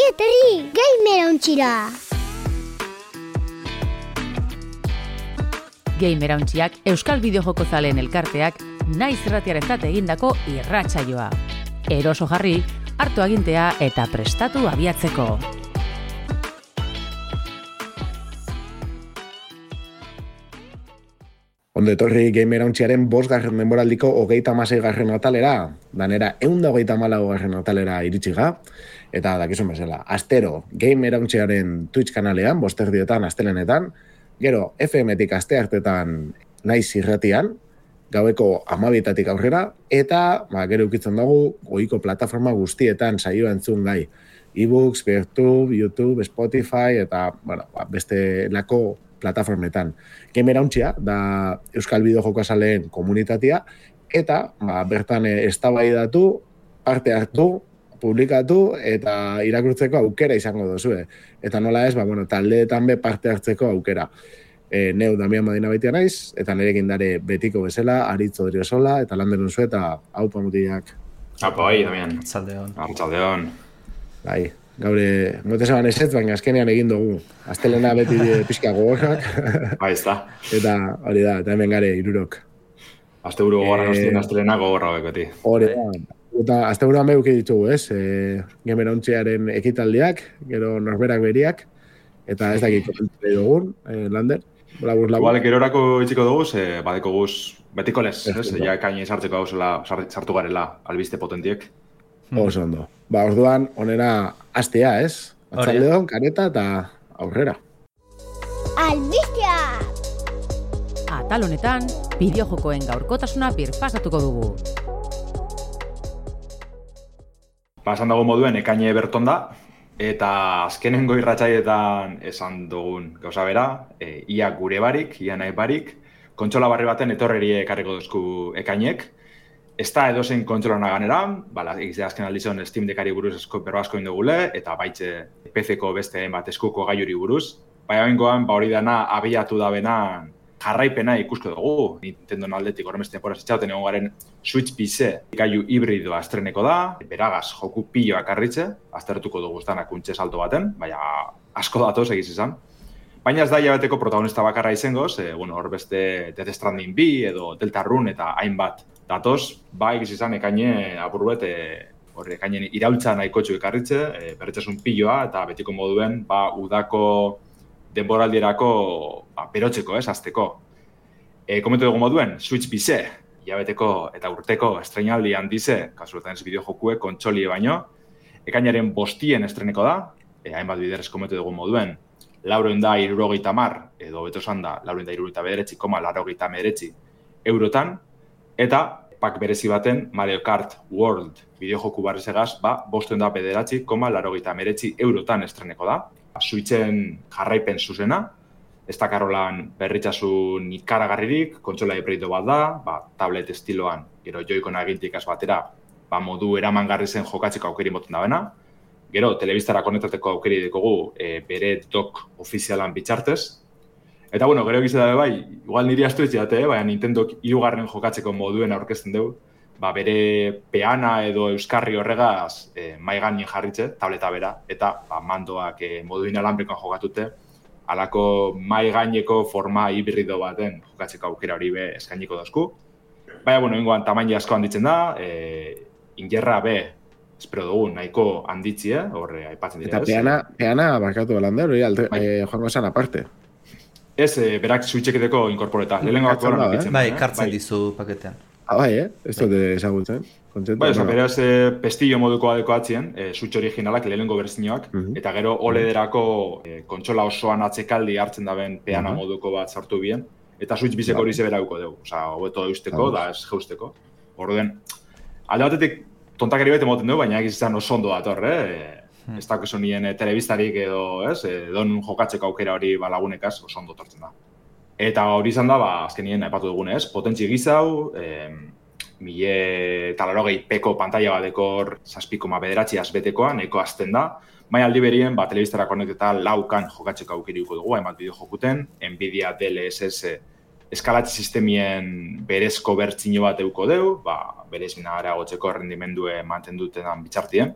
Ongi etorri, Gamerauntxira! Gamerauntxiak Euskal Bideojoko zaleen elkarteak naiz irratiarentzat egindako irratsaioa. Eroso jarri, hartu agintea eta prestatu abiatzeko. Ondo etorri Gamerauntxiaren 5. denboraldiko 36. atalera, danera 134. atalera iritsiga, eta dakizun bezala, astero Gamerauntxiaren Twitch kanalean, 5:00 astelenetan, gero FM-tik asteartetan naiz irratian, gaueko 12:00 aurrera, eta gero ukitzen dugu ohiko plataforma guztietan saioa entzun gai. E-books, Peertube, YouTube, Spotify, eta beste lako plataformetan. Gamerauntxia da Euskal Bideojoko zaleen komunitatea, eta bertan eztabaidatu, parte hartu, publikatu eta irakurtzeko aukera izango duzue. Eta nola ez, taldeetan be parte hartzeko aukera. Neu Damian Madina baitia naiz, eta nirekin dare betiko bezala, Aritz Odriozola, eta lander duzu eta haupa mutiak. Haupa bai, Damian. Arratsaldeon. Bai, gaur mote zaban ezetz, baina azkenean egin dugu. Astelena beti pixka gogorrak. Bai, ez da. Eta hori da, eta hemen gare, 3. Asteburu gogorra nostien astelena gogorra bekoti. Hori da. Eta asteburuan behuki ditugu, ez? Gamerauntxiaren ekitaldiak, gero norberak beriak, eta ez dakit komentzei dugun, Lander. Igual, gerorako itxiko dugu, badeko guz betiko lez, ez? Ja ekaini sartzeko gauzela, sartu garela, albiste potentiek. Oso ondo. Orduan, onera astea, ez? Atzaldeon, kareta eta aurrera. Albistea! Atal honetan, bideojokoen gaurkotasuna birpasatuko dugu. Pasan dago moduen, ekaine berton da, eta azkenengo irratsaietan esan dugun gauza bera, ia gure barik, ia nahi barik, kontsola barri baten etorrerie ekarriko duzku ekainek. Ez da edozein kontsolana ganera, egizte azken aldizon Steam Deckari buruz berro asko indugule, eta baitze PC-ko beste bat eskuko gaiuri buruz. Baina bengoan, hori dana abiatu da bena jarraipena ikusko dugu. Nintendo aldetik horremeste temporaz itxauten egon garen Switch PC gaiu hibridoa estreneko da, beragaz joku piloak arritze, aztertuko dugu estanak kuntxe salto baten, baina asko datoz egiz izan. Baina ez da hilabeteko protagonista bakarra izangoz, hor beste Death Stranding 2 edo Deltarune eta hainbat datoz, egiz izan ekaine apurbet, ekainen iraultza nahikotxu ekarritze, berretxasun piloa eta betiko moduen udako denboraldierako berotzeko, azteko. Komentu dugu moduen, Switch PC, hilabeteko eta urteko estrenaldi handize, kasuetan ez bideojokue, kontsolie baino, ekainaren 5 estreneko da, hainbat biderrez komentu dugu moduen, 470 edo beto esan da, 479,89 eurotan, eta pak berezi baten Mario Kart World bideojoku barrezegaz, 509,89 eurotan estreneko da. Switchen jarraipen zuzena, ez da karolan berritxasun ikaragarririk, kontsola hibrideo bat da, tablet estiloan, gero joikon agintik batera, modu eramangarri zen jokatzeko aukeri moten da bena. Gero, telebistara konektateko aukeri dekogu bere dock ofizialan bitxartez. Eta, gero egize dabe bai, igual niri astu ez jate, baina Nintendok 3. jokatzeko moduen aurkezten dugu, bere peana edo euskarri horregaz maiganin jarritze, tableta bera, eta mandoak modu inalanbrikoan jokatute, alako maigaineko forma hibrido baten jokatzeko aukera hori be eskainiko dozku. Baina, ingoan tamaini asko handitzen da, ingerra be, espero dugu, nahiko handitzi, horre aipatzen dira. Eta peana barkatu Lander, hori joango esan aparte. Ez, berak switcheketeko inkorporeta. Lehenengo bat goran apitzen. Bai, kartzen dizu paketean. Ez dute ezagutzen. Beraz, pestillo moduko adeko atzien, Switch originalak, lehenengo berzinoak, eta gero OLED-erako kontsola osoan atzekaldi hartzen daben peana moduko bat sartu bien, eta Switch bizeko hori zeberauko dugu. Hobeto eusteko, da ez jeusteko. Orduen, alde batetik tontakari bete moten dugu, baina egiz izan oso ondo dator, ez dakizu nien telebistarik edo, edon jokatzeko aukera hori lagunekaz oso ondo tortzen da. Eta hori izan da, azkenien aipatu dugunez, potentzi egizau, 1080pko pantalla badekor 7,9 azbetekoa, nahiko azten da, baina aldi berien, telebistara konekteta laukan jokatzeko aukeriko dugu, hainbat bideo jokuten, Nvidia DLSS eskalatze sistemien berezko bertzino bat euko deu, berez minagara gotzeko rendimendue manten dutenan bitxartien.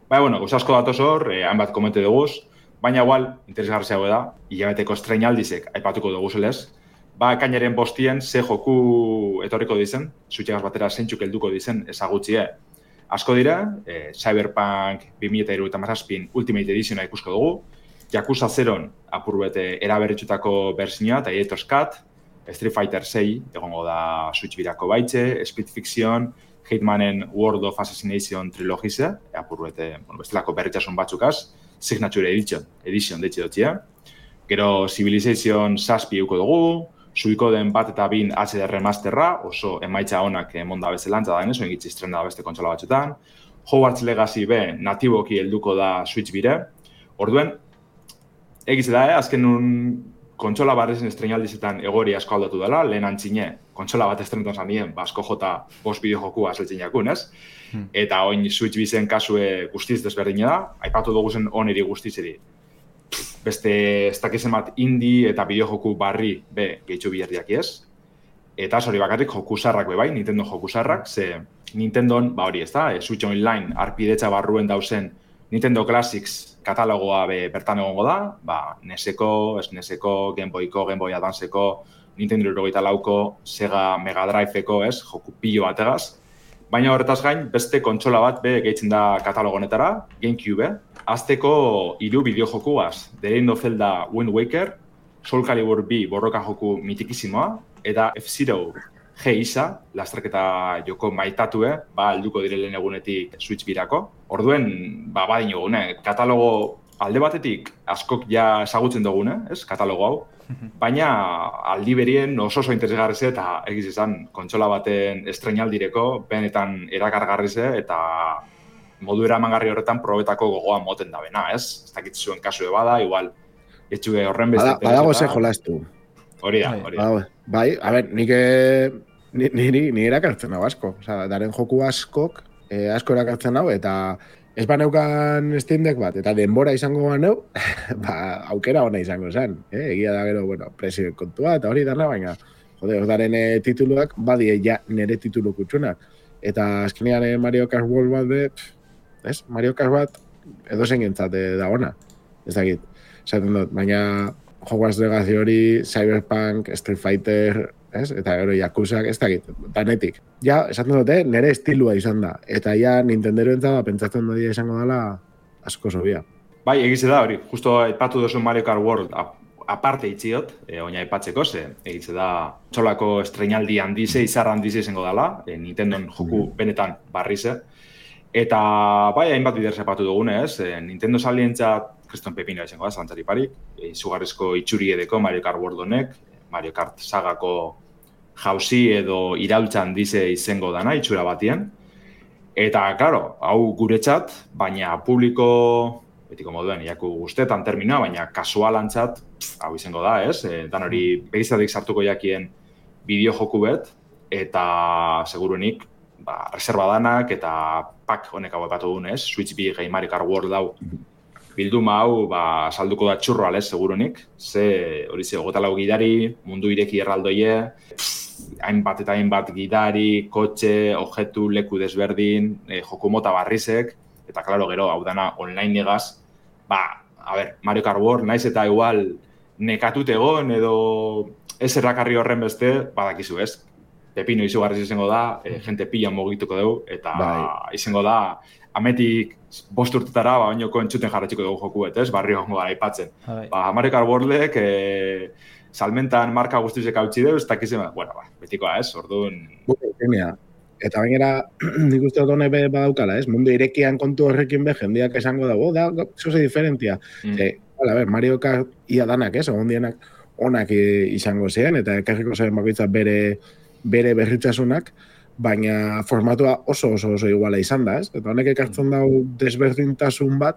bueno, asko datoz hor, hainbat komente duguz, baina igual, interesgarriago da, hilabeteko estreinaldizek aipatuko duguzelez, ekainaren 5 ze joku etorriko dizen, zuitxegaz batera zeintzuk helduko dizen ezagutzie. Asko dira, Cyberpunk 2077 Ultimate Editiona ikusko dugu, Yakuza 0 apurbete eraberritutako berzioa, eta Director's Cut, Street Fighter 6 egongo da Switch birako baitze, Speed Fiction, Hitmanen World of Assassination trilogize, apurbete, bestelako berritxasun batzukaz, Signature Edition deitxe dutxia. Gero Civilization 7 euko dugu, Suikoden 1 eta 2 HD remasterra, oso emaitza honak emonda bezalantza da genez, oingitzi estrena da beste kontsola batzuetan. Hogwarts Legacy B natiboki helduko da Switch bire. Orduen, egiz da, azken kontsola barrezen estreinaldizetan egori asko aldatu dela, lehen antzine, kontsola bat estrenetan zanien, asko jota 5 bideojokua azeltzen jakun, ez? Eta oin Switch bizen kasue guztiz desberdina da, aipatu dugu zen oneri guztizeri. Beste ez dakizen bat indie eta bideojoku barri gehitxu biherriak ez. Eta hori bakarrik joku zarrak bai, Nintendo joku zarrak, ze Nintendon, hori ez da, Switch Online arpidetza barruen dauzen Nintendo Classics katalogoa bertan egongo da, NESeko, SNESeko, Game Boyko, Game Boy Advanceko, Nintendo 64ko, Sega Mega Driveko, joku pilo bategaz. Baina horretaz gain, beste kontsola bat gehitzen da katalogo honetara, GameCube, azteko 3 bideojokuaz, The Legend of Zelda Wind Waker, Soul Calibur 2 borroka joku mitikizimoa, eta F-Zero G-Isa, lasterketa joko maitatue, helduko direlen egunetik Switch birako. Orduen, badin egune, katalogo alde batetik askok ja ezagutzen dugune, katalogo hau, baina aldi berien oso interesgarri ze eta egiz izan kontsola baten estreinaldireko benetan erakargarri ze eta modu eramangarri horretan probetako gogoa moten da bena, ez? Ez dakit zuen kasue bada, igual etxue horren beste. Badago ze jolastu. Hori da. Bai, a ber, niri erakartzen hau asko. Osa, daren joku askok, asko erakartzen hau, eta ez baneukan Steam Deck bat, eta denbora izango baneu, aukera hona izango zen. Egia da gero, presio kontua, eta hori dana, baina, daren tituluak, badie ja nire titulu kutsunak. Eta azkenean Mario Kart World bat Mario Kart bat edozen gentzate da ona. Ez dakit, esaten dut, baina Hogwarts Legacy hori, Cyberpunk, Street Fighter, eta gero Yakuzak, ez dakit, danetik. Ja, esaten dut, nire estilua izan da. Eta ja, Nintendero entzaba, pentsatzen dut izango dela asko zobia. Bai, egize da hori, justo aipatu duzu Mario Kart World aparte itziot, oina aipatzeko, egize da txolako estreinaldi handize, izar handize izango dela, Nintendon joku benetan barrize. Eta bai, hainbat bider zapatu dugune, Nintendo salientzat kriston pepino izango da, zalantzari parik, izugarrizko itxuri edeko Mario Kart World honek, Mario Kart sagako jauzi edo iraultzan dize izango dana, itxura batien. Eta, klaro, hau guretzat, baina publiko, betiko moduen, iaku guztetan terminoa, baina kasualantzat, hau izango da, Dan hori begizatik sartuko jakien bideojoku bet, eta seguruenik, reserva danak eta pak honek hau epatu duen, Switch B gehi Mario Kart World hau bilduma hau salduko da txurro alez, seguruenik. Hori ze, 24 gidari, mundu ireki erraldoie, hainbat eta hainbat gidari, kotxe, objektu, leku desberdin, joku mota barrizek, eta klaro gero, hau dana online egaz, Mario Kart World, naiz eta igual nekatut egon edo ez errakarri horren beste, badakizu ez. Pepino izugarriz izango da, jente pila mogituko dugu, eta izango da, ametik 5 urtetara, bainoko entzuten jarratxiko dugu joku ez, barri hongo gara aipatzen. Mario Kart Worldek, salmentan marka guztizek hautsi dugu, ez dakizen, betikoa ez, orduan... Eta bainera, nik uste dut honek badaukala, mundu irekian kontu horrekin jendeak esango dago, zoze diferentia. Mario Kart ia danak, ondienak onak izango ziren, eta ekarriko zen bakoitza bere berritasunak, baina formatua oso iguala izan da, Eta honek ekartzen dau desberdintasun bat,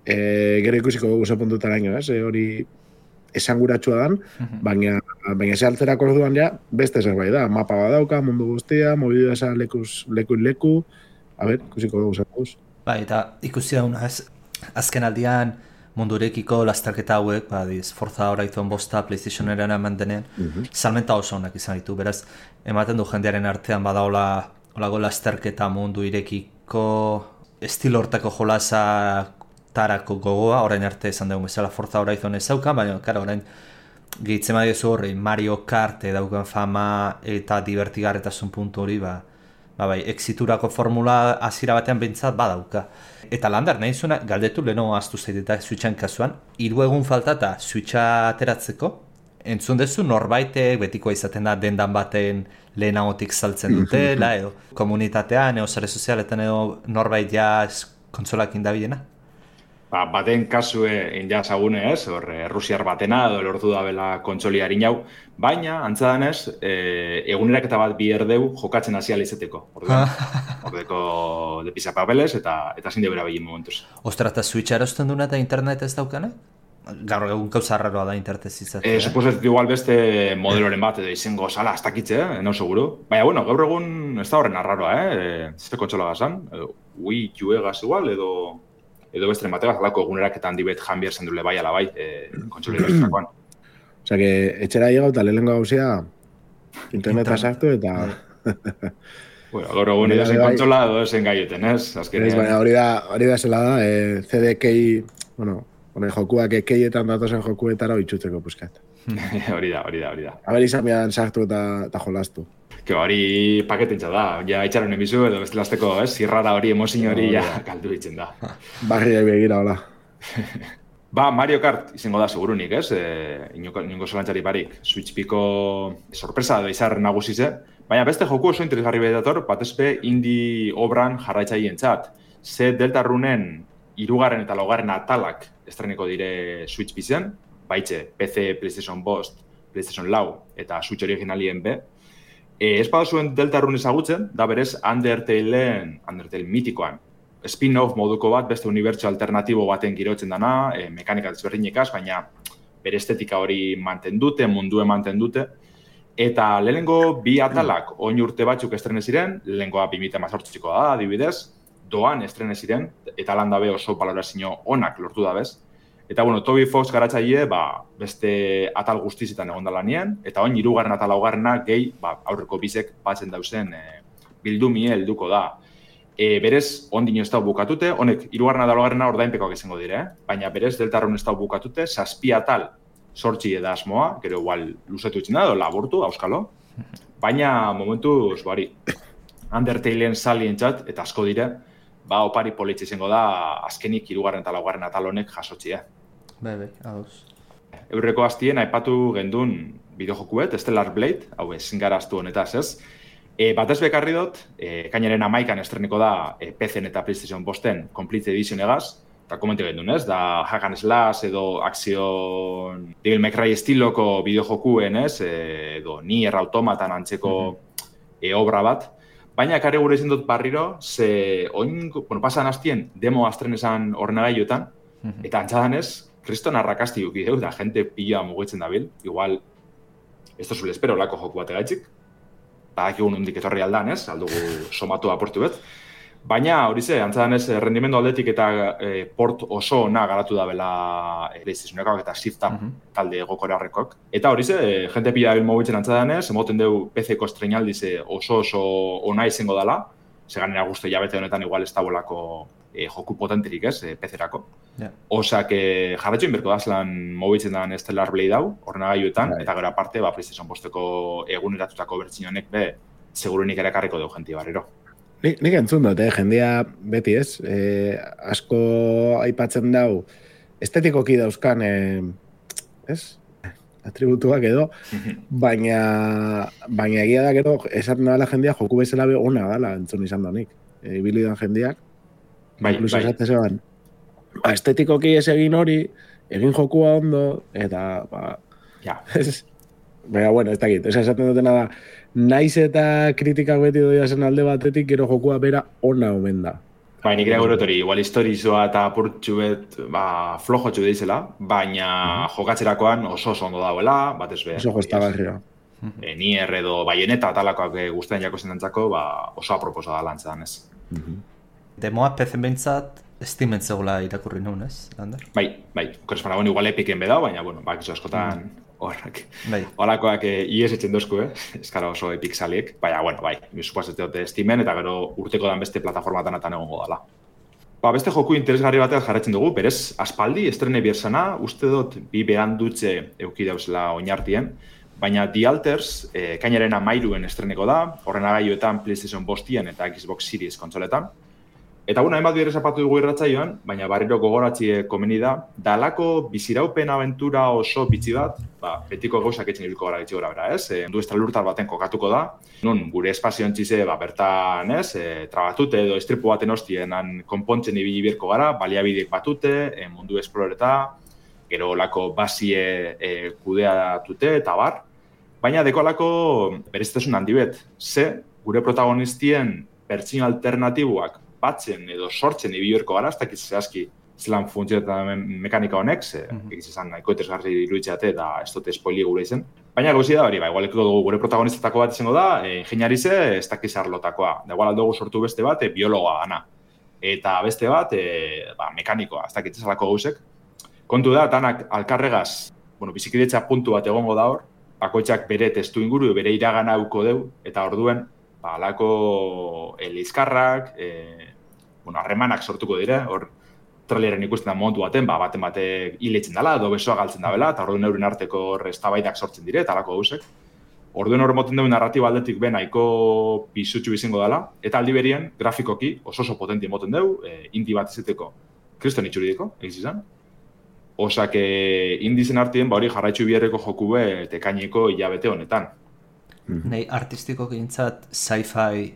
gero ikusiko dugu ze puntutaraino, hori esanguratsua dan, baina ze altzerak orduan ja, beste zerbait da, mapa badauka, mundu guztia, mobidu eza leku, ikusiko dugu zerbuz. Eta ikusi dauna, azken aldian, mundurekiko lasterketa hauek, Forza Horizon 5 PlayStationeran eman denen, salmenta oso onak izan ditu, beraz, ematen du jendearen artean badaola olago lasterketa mundu irekiko estilo hortako jolasa tarako gogoa, orain arte esan dugu bezala Forza Horizon ez zaukan, baina, karo, orain gehitzen badiozu horri Mario Kart daukan fama eta divertigarretasun puntu hori, bai, exiturako formula hasiera batean behintzat badauka. Eta Lander, nahi zuena, galdetu leheno aztu zaiteta Switchan kasuan, 3 egun falta eta Switcha ateratzeko, entzun dezu norbaitek betikoa izaten da dendan baten lehenagotik saltzen dutela, edo komunitatean, edo sare sozialetan edo norbait ja kontsolakin dabilena? Baten kasue injazagune ez, Rusiar batena edo lortu dabela kontsoli harinau, baina, antza danez, eguneraketa bat bi erdeu jokatzen hasiala izeteko. Ordeko de pisa papeles eta zin debera begin momentuz. Ostra, eta Switcha erosten duna eta internet ez daukane? Gaur egun gauza raroa da internet izatea. Suposet igual beste modeloren bat edo izango sala hasta kitze, no seguro. Baina, bueno, gaur egun ez da horren arraroa, zeste kontsola gazan, Wii U-egaz igual, edo bestren bategaz, alako eguneraketan dibet janbier zendule bai ala bai, kontsolera estrakoan. Osea, que etxera llegau eta lehenengo gauzea interneta sartu eta... Bueno, gaur egun edozen kontsola edo edozen gaioten, ez? Baina hori da zela da, CD-kei, bueno, jokuak keietan datozen jokuetara itxutzeko puskat. Hori da. Aber izan bian sartu eta jolastu. Hori paketentza da, ja itxaron emizu edo bestelazteko, zirrara hori, emozin hori, ja, kaldu ditzen da. Barriak begira, hola. Mario Kart izango da segurunik, inongo zolantzari barik. Switch piko sorpresa edo izar nagusize, baina beste joku oso interesgarri bedator, batezpe indie obran jarraitzaien txat. Ze Deltarunen 3. eta 4. atalak estreniko dire Switch bizen, baitxe PC, PlayStation 5, PlayStation 4 eta Switch originalien be. Ez badazuen Deltarun ezagutzen, da berez Undertale mitikoan. Spin-off moduko bat, beste unibertsio alternatibo baten girotzen dana, mekanika desberdinekaz, baina bere estetika hori mantendute, mundue mantendute. Eta lehenengo 2 atalak oin urte batzuk estrene ziren, lehenengoa 2018ko da, adibidez, doan estrene ziren, eta lan dabe oso balorazio onak lortu dabez. Eta, bueno, Toby Fox garatzaile, beste atal guztizetan egon dala nien, eta oin 3. eta 4. gehi, aurreko bizek batzen dauzen bildumie helduko da. Berez, ondino ez da bukatute, honek 3. eta 4. ordainpekoak izango dire, baina berez, Deltarun ez da bukatute, 7 atal sortzi eda asmoa, gero igual luzetu itzen da, edo laburtu, auskalo, baina momentuz, Undertalen salien txat, eta asko dire, opari politxe izango da, azkenik 3. eta 4. atal honek jasotxia. Bai, ados. Eurreko hastien aipatu gendun bideojokuet, Stellar Blade, hau ezin gara astu honetaz ez. Batez bekarri dut, kainaren 11an estreniko da PC-en eta PlayStation 5-en Complete Edition egaz, eta komente gendun ez, da hack and slash edo akzion Devil May Cry estiloko bideojokuen ez, edo Nier Automatan antzeko obra bat. Baina ekarri gure izan dut barriro, ze pasan hastien demo astrenesan ornegailuetan, eta antzadanez, kriston arrakasti duki deu, da jente pila mugitzen dabil, igual, ez tozule espero lako joku bat egaitzik, badakigun hundik etorri aldan, ez, aldugu somatu aportu bet, baina hori ze, antzadanez, rendimendu aldetik eta port oso ona garatu da bela PlayStationekoak eta Shift-Up talde gokorarrekoak. Eta hori ze, jente pila dabil mugitzen antzadanez, emoten deu PC-ko estrenaldize oso ona izango dela, seganera guzti jabete honetan igual ez da bolako joku potenterik ez, PC-erako. Osak jarretxo inberko dazlan mugitzen dan Stellar Blade hau, ornagailuetan, eta gero aparte, PlayStation 5-eko eguneratutako bertsionek segurunik ere karriko deu jenti barriro. Nik entzun dut, jendia beti ez, asko aipatzen dau, estetikoki dauzkan, ez? Atributuak edo, baina egia da gero, esaten dela jendia joku bezala ona dala entzun izan da nik. Ibilidan jendiak, inkluso esate zeban, estetikoki ez egin hori, egin jokua ondo, eta, baina, bueno, ez dakit, esaten dutena da, naiz eta kritikak beti doia zen alde batetik, gero jokua bera ona omen da. Nik ere gure igual historizoa eta apurtxu bet, flojotxu behizela, baina jokatzerakoan oso ondo dauela, batez be. Oso jostagarria. Nier edo Bayonetta atalakoak guztien jako zendantzako, oso aproposa da lantzan, ez. Demoa PC behintzat, Steamen zegoela irakurri nuen, ez, Lander? Bai. Korespan igual Epiken bedau, baina, bakizu askotan horrak. Holakoak ies etxen dozku, eskara oso Epic saliek. Baina, bai, supuazeteote Steamen, eta gero urteko dan beste plataformatan egongo dala. Beste joku interesgarri batean jarraitzen dugu, berez, aspaldi, estrene bierzana, uste dut, bi behan dutze euki dauzela oinartien, baina The Alters, kainaren 13 estreneko da, horren agailuetan PlayStation 5 eta Xbox Series kontsoletan. Eta hainbat bider zapatu dugu irratsaioan, baina barriro gogoratzi komeni da, dalako biziraupen abentura oso bitxi bat, betiko gauzak etxen ibilko gara gitxi gora bera, ez? Mundu estralurtar baten kokatuko da, nun gure espazioan txize, bertan, ez? Trabatute edo estripu baten hostienan konpontzen ibili birko gara, baliabideek batute, mundu esploreta, gero olako basie kudeatute eta bar. Baina dekolako berezitasun handi bet, gure protagonistien pertsino alternatiboak batzen edo sortzen ibiorko gara, ez dakit zehazki zelan funtzionetan mekanika honek, egiz esan nahiko etesgarri iruditzeate eta ez dute spoili gure izen. Baina gauzi da hori, igualeko dugu gure protagonistetako bat izango da, ingeniarize ez dakiz arlotakoa. Da igual aldugu sortu beste bat, biologoa gana. Eta beste bat, mekanikoa, ez dakit ezalako gauzek. Kontu da, tanak alkarregaz, bizikidetza puntu bat egongo da hor, bakoitzak bere testu inguru, bere iragana auko deu, eta orduen, alako lizkarrak, harremanak sortuko dire, hor traileren ikusten da momentu baten, baten batek hiletzen dela, edo besoa galtzen dabela, eta orduen euren arteko eztabaidak sortzen dire, eta alako gauzek. Orduen hor moten dugu narratiba aldetik nahiko pisutxu izango dela, eta aldi berien, grafikoki oso potenti moten dugu, indi bat izeteko kriston itxuridiko, egiz izan. Osak indizen artien, hori jarraitzu biherreko joku tekaineko hilabete honetan. Nei artistiko gintzat sci-fi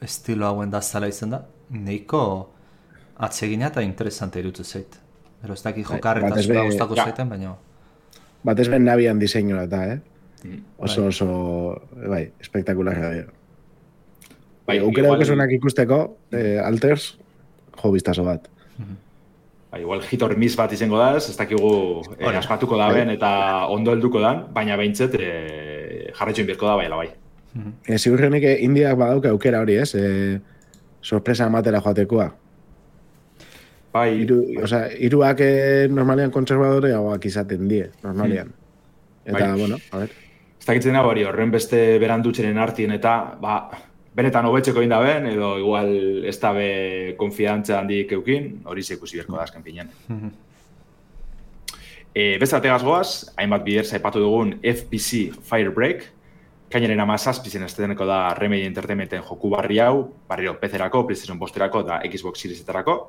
estilo hauen da zala izan da, neiko atsegina eta interesante irutu zait. Pero ez daki jokarreta zula gustako zaiten, baina... Batez ben nabian diseinua eta, Oso, espektakularra dira. Aukera dukesunak ikusteko, Alters, jo biztaso bat. Igual hit or miss bat izango da ez dakigu aspatuko daben eta ondo helduko dan, baina behintzet jarraitxoin birko da baiala bai. Ziurrenik indiak badauka aukera hori, ez? Sorpresa ematera joatekoa. Bai. Hiruak normalian kontserbadore hauak izaten die, normalian. Eta, a ver. Ez dakitzen dago hori, horren beste berandutxeren artien eta, benetan hobetzeko indaben, edo igual ez dabe konfidantza handik eukin, hori zekusi berko da azken pinean. Beste ategaz goaz, hainbat bider zaipatu dugun FPC Firebreak, kainaren 17 esteteneko da Remedy Entertainmenten joku barri hau, barriro PC-erako, PlayStation 5-erako eta Xbox Series-etarako.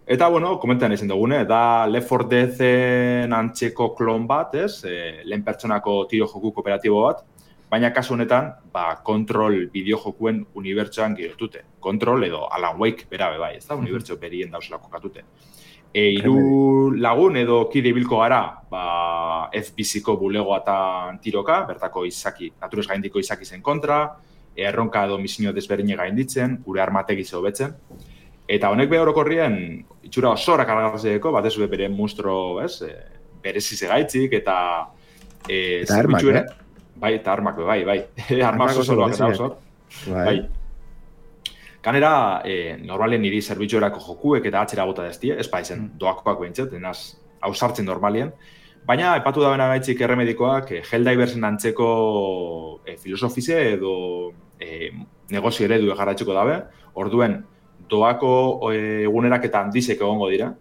Eta, komentan izan dugune, da Left 4 Dead-en antzeko klon bat, ez? Lehen pertsonako tiro joku kooperatibo bat, baina kasu honetan, Control bideojokuen unibertsoan girotute. Control edo Alan Wake bera bai, ez da? Unibertso berien dauzela kokatute. Hiru lagun edo kide ibilko gara, FBC-ko bulegoa eta tiroka, bertako izaki, naturez gaindiko izaki zen kontra, erronka edo misinio desberdine gainditzen, gure armategi hobetzen. Eta honek behorokorrien, itxura osorak argazeko, batez bere monstro, ez? Berezi zegaitzik eta... Eta armak, Bai, eta armak, bai. Armak osoloak eta osor. Bai. Kanera, normalien niri zerbitzuerako jokuek eta atxera gota deztie, ez izen doakoak behintzat, denaz hausartzen normalien. Baina, epatu da bena gaitzik erremedikoak, Helldiversen antzeko filosofize edo negozio eredu egarratxuko dabe, orduen doako egunerak eta handizek egongo dira,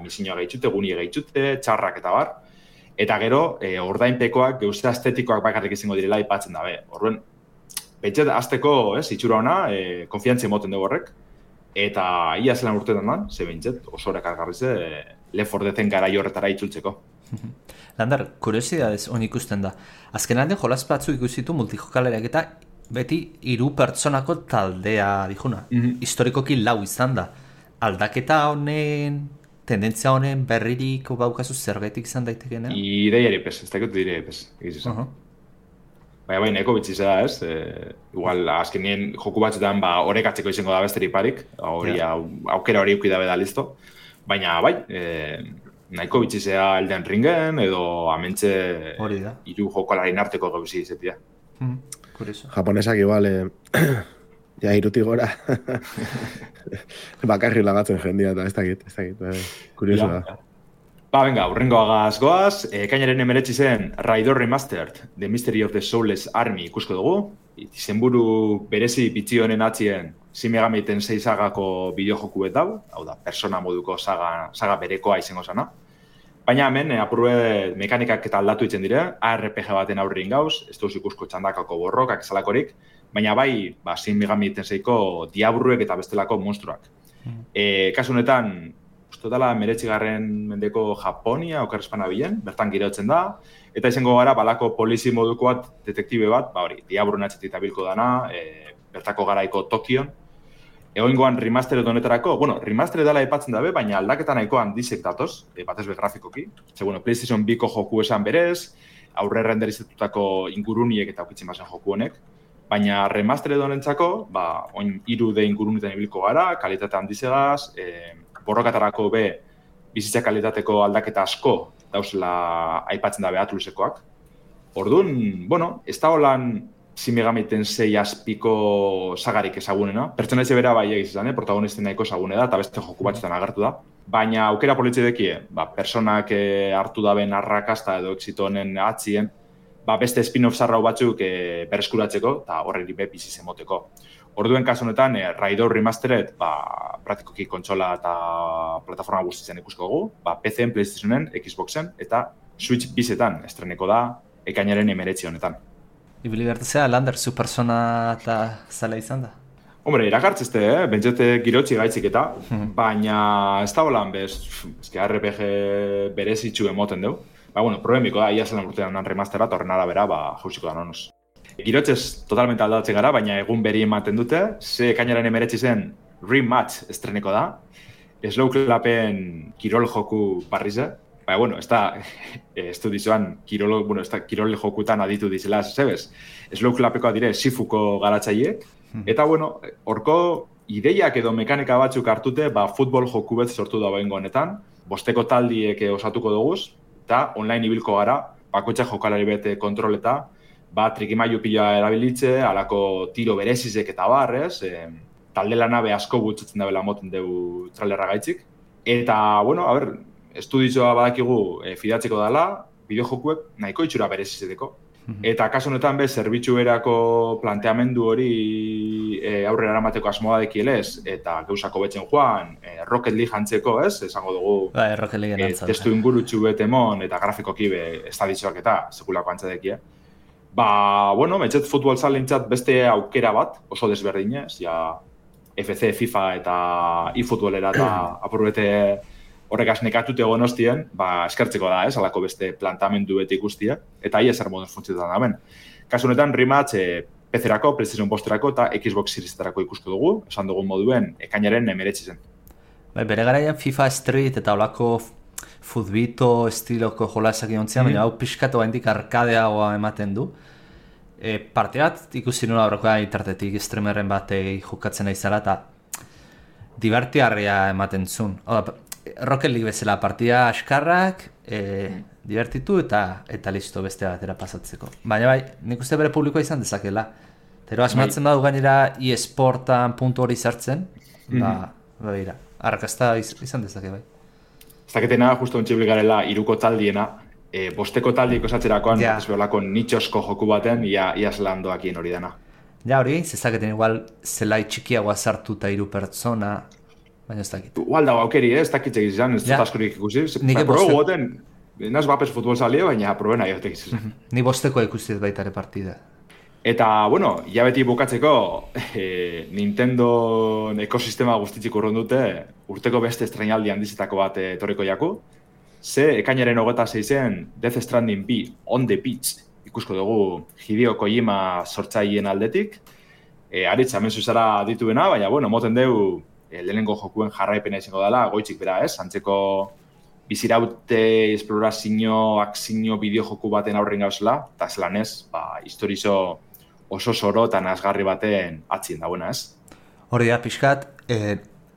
misinua gehitxute, gunie gehitxute, txarrak eta bar, eta gero, ordainpekoak, geuze estetikoak bakarrik izango direla ipatzen dabe. Orduen, pentset, azteko, itxura ona, konfiantzia moten dugu horrek, eta ia zelan urtetan da, ze bintzet, oso horrek argarrize, Left 4 Dead-en garai horretara itzultzeko. Lander, kuriosidadez hon ikusten da. Azken aldean jolaz batzu ikusitu multijokalariak eta beti 3 pertsonako taldea dijuna. Historikoki lau izan da. Aldaketa honen, tendentzia honen berririk baukazu zerbetik izan daitekena? Ideiari pez, ez dakit ideiari pez, egiz izan. Baina neko bitxiz da, ez? Igual, azkenien joku batzutan horrekatzeko izango da besterik parik, aukera hori uki dabe da listo. Baina, bai, nahiko bitxizea Elden Ringen, edo amentxe 3 jokalaren arteko gauzi izetia. Japonesak igual, ja iruti gora, bakarri lagatzen jendia eta ez dakit, kurioso da. Venga, urrengoagaz goaz, ekainaren 19 zen Raidor Remastered, The Mystery of the Soulless Army ikusko dugu. Izenburu berezi bitxi honen atzien Shin Megami Tensei sagako bideojoku hau da, persona moduko saga berekoa izango zana. Baina hemen, apurue mekanikak eta aldatu itzen dire, ARPG baten aurrin gauz, ez duz ikusko txandakako borrokak esalakorik, baina bai, Shin Megami Tenseiko diabruek eta bestelako monstruak. Kasu honetan, uste dela 19. mendeko Japonia, okerrezpana bilen, bertan girotzen da, eta izango gara balako polizi moduko bat, detektibe bat, diabruen atxetit abilko dana, bertako garaiko Tokion. Egoingoan remastered honetarako, remastered dela aipatzen dabe, baina aldaketa nahiko handizek datoz, batez be grafikoki. PlayStation 2ko joku esan berez, aurre renderizatutako inguruniek eta aukitzen bazen joku honek, baina remastered honentzako, oin 3D ingurunetan ibilko gara, kalitate handizegaz, borrokatarako bizitza kalitateko aldaketa asko dauzela aipatzen dabe Atlusekoak. Orduan, ez da holan Shin Megami Tensei azpiko sagarik ezagunena. Pertsonaitze bera bai egiz izan, protagonisten nahiko ezagune da, eta beste joku batzutan agertu da. Baina aukera politxe dekie, personak hartu daben arrakasta edo exito honen atzien, beste spin-off zarrau batzuk berreskuratzeko, eta horreri bizi zemoteko. Orduen kasu honetan, Raidor Remastered, praktikoki kontsola eta plataforma guztitzen ikusko dugu, PC-en, PlayStationen, Xboxen, eta Switch bizetan estreneko da, ekainaren 19 honetan. Ibili bertezea, Lander, zu persona eta zala izan da? Hombre, irakartzezte, bentsete girotzi gaitzik eta, baina ez da holan RPG berezitxu emoten dugu. Problemiko da, ia zelan urtean nan remastera, eta horren arabera, jauziko da nonoz. Girotzez totalmente aldatzen gara, baina egun beri ematen dute, ze ekainaren 19 zen Rematch estreneko da, Slow Clappen kirol joku barrize, ez du dizuan kirol jokutan aditu dizela, zebez. Slow Clappekoa dire Sifuko garatzaiek, eta horko ideiak edo mekanika batzuk hartute, futbol joku bet sortu da behingo honetan, bosteko taldiek osatuko duguz, eta online ibilko gara, bakoitza jokalari bete kontroleta, trikimailu pila erabilitze, alako tiro berezizek eta barrez, talde lanabe asko gutxatzen dabela moten dugu trailerra gaitzik. Eta, estudizioa badakigu fidatzeko dela, bideojokuek nahiko itxura berezizeteko. Eta kasu honetan zerbitzu erako planteamendu hori aurrera eramateko asmoa dekielez, eta geusako betzen joan, Rocket League jantzeko, esango dugu, Rocket League testu ingurutxu betemon eta grafikoki estadizioak eta sekulako antzadekie. Metxet futbol zalentzat beste aukera bat, oso desberdinez, FC, FIFA eta eFootballera eta apurbete horrekaz nekatute gonostien, eskertzeko da, alako beste plantamendu beti ikustia, eta ia zer moduz funtzioetan da ben. Kasu honetan, Rematch PC-erako, PlayStation Posterako eta Xbox Series-etarako ikusko dugu, esan dugun moduen, ekainaren 19 zen. Bere garaian FIFA Street eta olako futbito estiloko jolasak iontzean, baina hau pixkatu gaindik arkadeagoa ematen du. Parteat ikusi nuen aurrekoa internetik streamerren batei jokatzen aizala eta divertiarria ematen zuen. Rocket League bezala partida askarrak, divertitu eta listo beste batera pasatzeko. Baina nik uste bere publikoa izan dezakela. Tero asmatzen badu gainera eSportan puntu hori sartzen, arrakasta izan dezake bai. Ez daketena, justo ontxibli garela, iruko taldiena, bosteko taldiek osatzerakoan, ez beholako nitxosko joku baten, ia zelan doakien hori dena. Ja hori, zezaketen igual zelai txikiagoa sartu eta 3 pertsona, baina ez dakit. Igual dago aukeri, ez dakitzek izan, ez dut askorik ikusi. Probe goten, naz bapes futbol zalie, baina probena jotek izan. Ni bosteko ikusi ez baitare partida. Eta, hilabeti bukatzeko, Nintendo ekosistema guztitzik urrun dute, urteko beste estrainaldi handizetako bat etorriko jaku. Ze, ekainaren 26-en Death Stranding 2 on the beach ikusko dugu Hideo Kojima sortzaileen aldetik. Aritza, hemen zuzara dituena, baina, moten dugu lehenengo jokuen jarraipena izango dela, goitzik bera, antzeko biziraute, esplorazio, akzio, bideojoku baten aurren gauzela, eta zelan ez, historizo oso zoro eta nazgarri baten atzien dagoena, ez? Hori da, pixkat,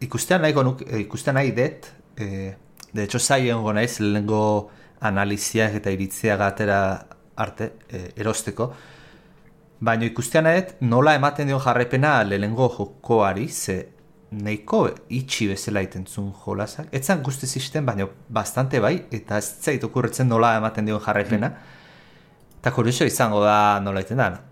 ikustean nahi dut, de hecho, zaien naiz lehenengo analiziak eta iritziak atera arte, erosteko, baina ikustean nahi dut, nola ematen dion jarraipena lehenengo jokoari, ze nahiko itxi bezala itentzun jolasak. Etzan guztiz izten, baina bastante bai, eta ez zait okurretzen nola ematen dion jarraipena. Eta kurioso izango da nola iten da.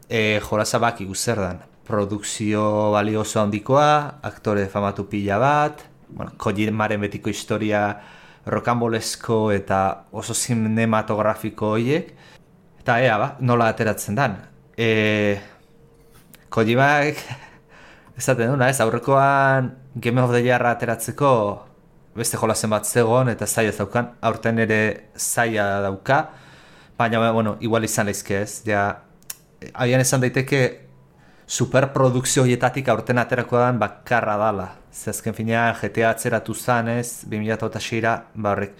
Jolasa baki zer dan. produkzio balioso handikoa, aktore famatu pila bat, bueno, Kojimaren betiko historia rokanbolesko eta oso cinematografiko horiek, eta nola ateratzen dan. Kojimak, esaten duna, aurrekoan Game of the Year ateratzeko beste jolasen bat zegoen eta zaila daukan, aurten ere zaila dauka, baina, bueno, igual izan leizke ez, agian esan daiteke superprodukzio horietatik aurten aterako dan bakarra dala. Zezken finean GTA atzeratu zanez, 2006-ra, horrek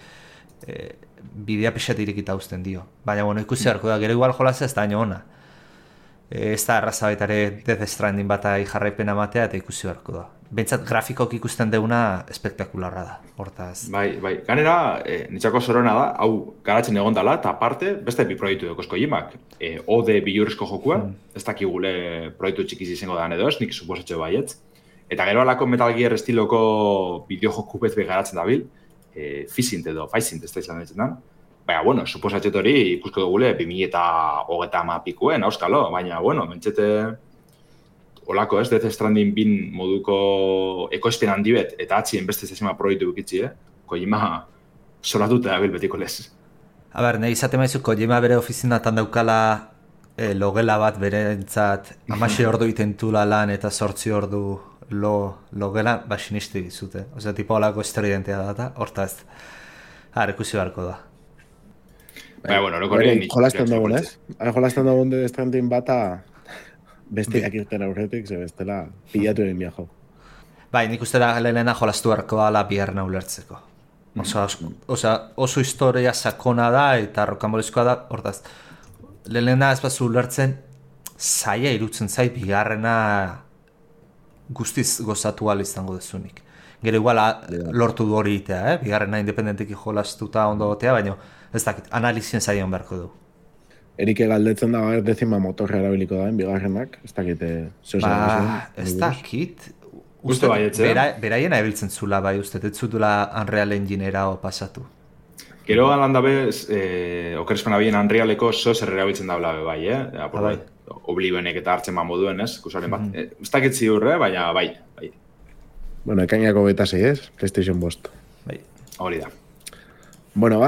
bidea pixat irekita uzten dio. Baina, bueno, ikusi harko da, gero igual jolazea ez da haino ona. Ez da erraza baitare Death Stranding bat jarraipena matea eta ikusi harko da. Bentsat grafikoak ikusten deuna espektakularra da, hortaz. Bai. Ganera, nitzako zorona da, hau garatzen egon dela, eta aparte, beste bi proiektu dauzko Kojimak. Ode bilurrizko jokua, ez dakigule proiektu txikiz izango da edo ez, nik suposatxo baietz. Eta gero alako Metal Gear estiloko bideojoku bezbe garatzen dabil, Fizint edo Faizint ez da izan ditzen da. Baina, bueno, suposatxet hori ikusko dugule 2030 pikuen, auskalo, baina, bueno, mentxete olako ez, Death Stranding bin moduko ekoizpen handi bet, eta atzien beste zezima proiektu bukitzi, Kojima solatute dabil betiko lez. Nahi izate maizu, Kojima bere ofizinatan daukala logela bat berentzat 16 ordu itentula lan eta 8 ordu logela, sinistu dizute. Osea, tipo olako esteridentea data, hortaz, ikusi beharko da. Baina, bueno, orokorri jolasten dugun, ez? Jolasten dugun Death Stranding bata bestiak irten aurretik, ze bestela pilatu egin biajo. Bai, nik uste da lehena jolastu beharko dala biharna ulertzeko. Oso historia sakona da eta rokanbolezkoa da, hortaz, lehena ez bazu ulertzen, zaila irutzen zait bigarrena guztiz gozatu izango dezunik. Gero igual lortu du hori itea, bigarrena independentiki jolastuta ondo gotea, baina ez dakit, analizien zaion beharko du. Erike galdetzen da, dezima motorra erabiliko da, bigarrenak, ez dakit ez dakit, beraien ebiltzen zula, bai, uste, ez zutula Unreal Enginera pasatu. Gero galan dabe, okerespen abien Unrealeko zer erabiltzen da bai, bai. Oblivionek eta hartzen moduen, ez? Kusaren bat. Ez dakit ziurre, baina bai. Bueno, ekainako 26, ez? PlayStation 5. Bai. Hori da. Bueno,